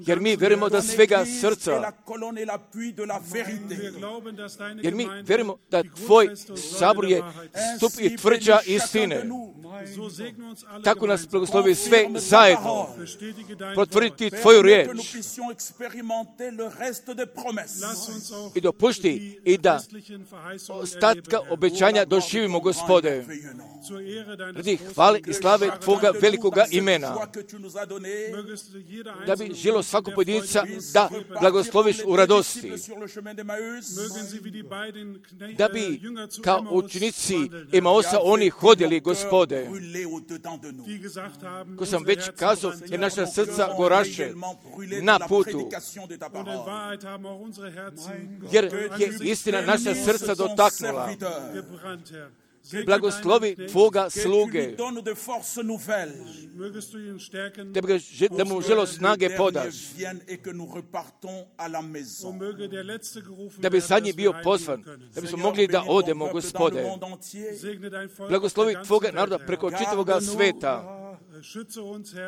jer mi verimo da svega srca, jer mi verimo da tvoj sabor je stup i tvrđa istine. Tako nas blagoslovi sve zajedno. potvrditi tvoju riječ que nous puissions expérimenter le reste des promesses. i dopušti i da ostatka obećanja doživimo, Gospode, radi hvale i slave Tvoga velikoga imena, da bi žilo svako pojedinca da blagosloviš u radosti, da bi kao učenici Emaosa oni hodili, Gospode, ko sam već kazao, jer naša srca goraše na putu, jer je istina naša srca dotaknula. Blagoslovi Tvoga sluge, da mu želo snage podaš, da bi zadnji bio pozvan, da bismo mogli da odemo, Gospode. Blagoslovi Tvoga naroda preko čitavoga sveta.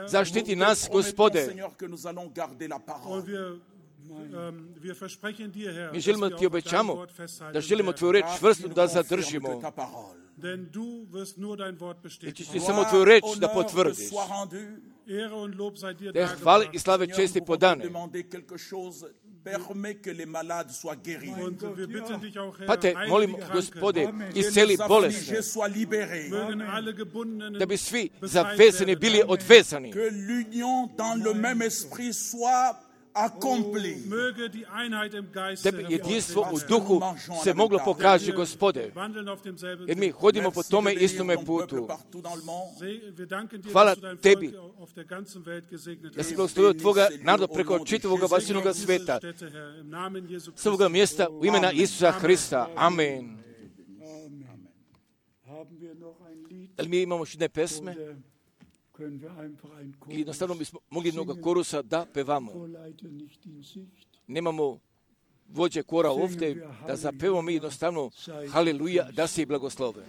Zaštiti nas, Gospode. Mi želimo Ti obećamo da želimo Tvoju reč čvrsto da zadržimo. I ćeš Ti samo Tvoju reč da potvrdiš. Da je hvale i slave česti podane. Pa te molimo, Gospode, isceli bolesne, da bi svi zavezani bili odvezani, da bi jedinstvo u duhu se moglo pokaži, Gospode, jer mi hodimo po tome istome putu. Hvala Tebi da si blagoslovio Tvoga naroda preko čitavoga vasinoga sveta, s ovoga mjesta u imena Isusa Hrista. Amen. Da li mi imamo jedne pesme? I jednostavno bismo mogli jednoga korusa da pevamo. Nemamo vođe kora ovdje, da zapevamo mi jednostavno Haleluja, da se i blagoslove.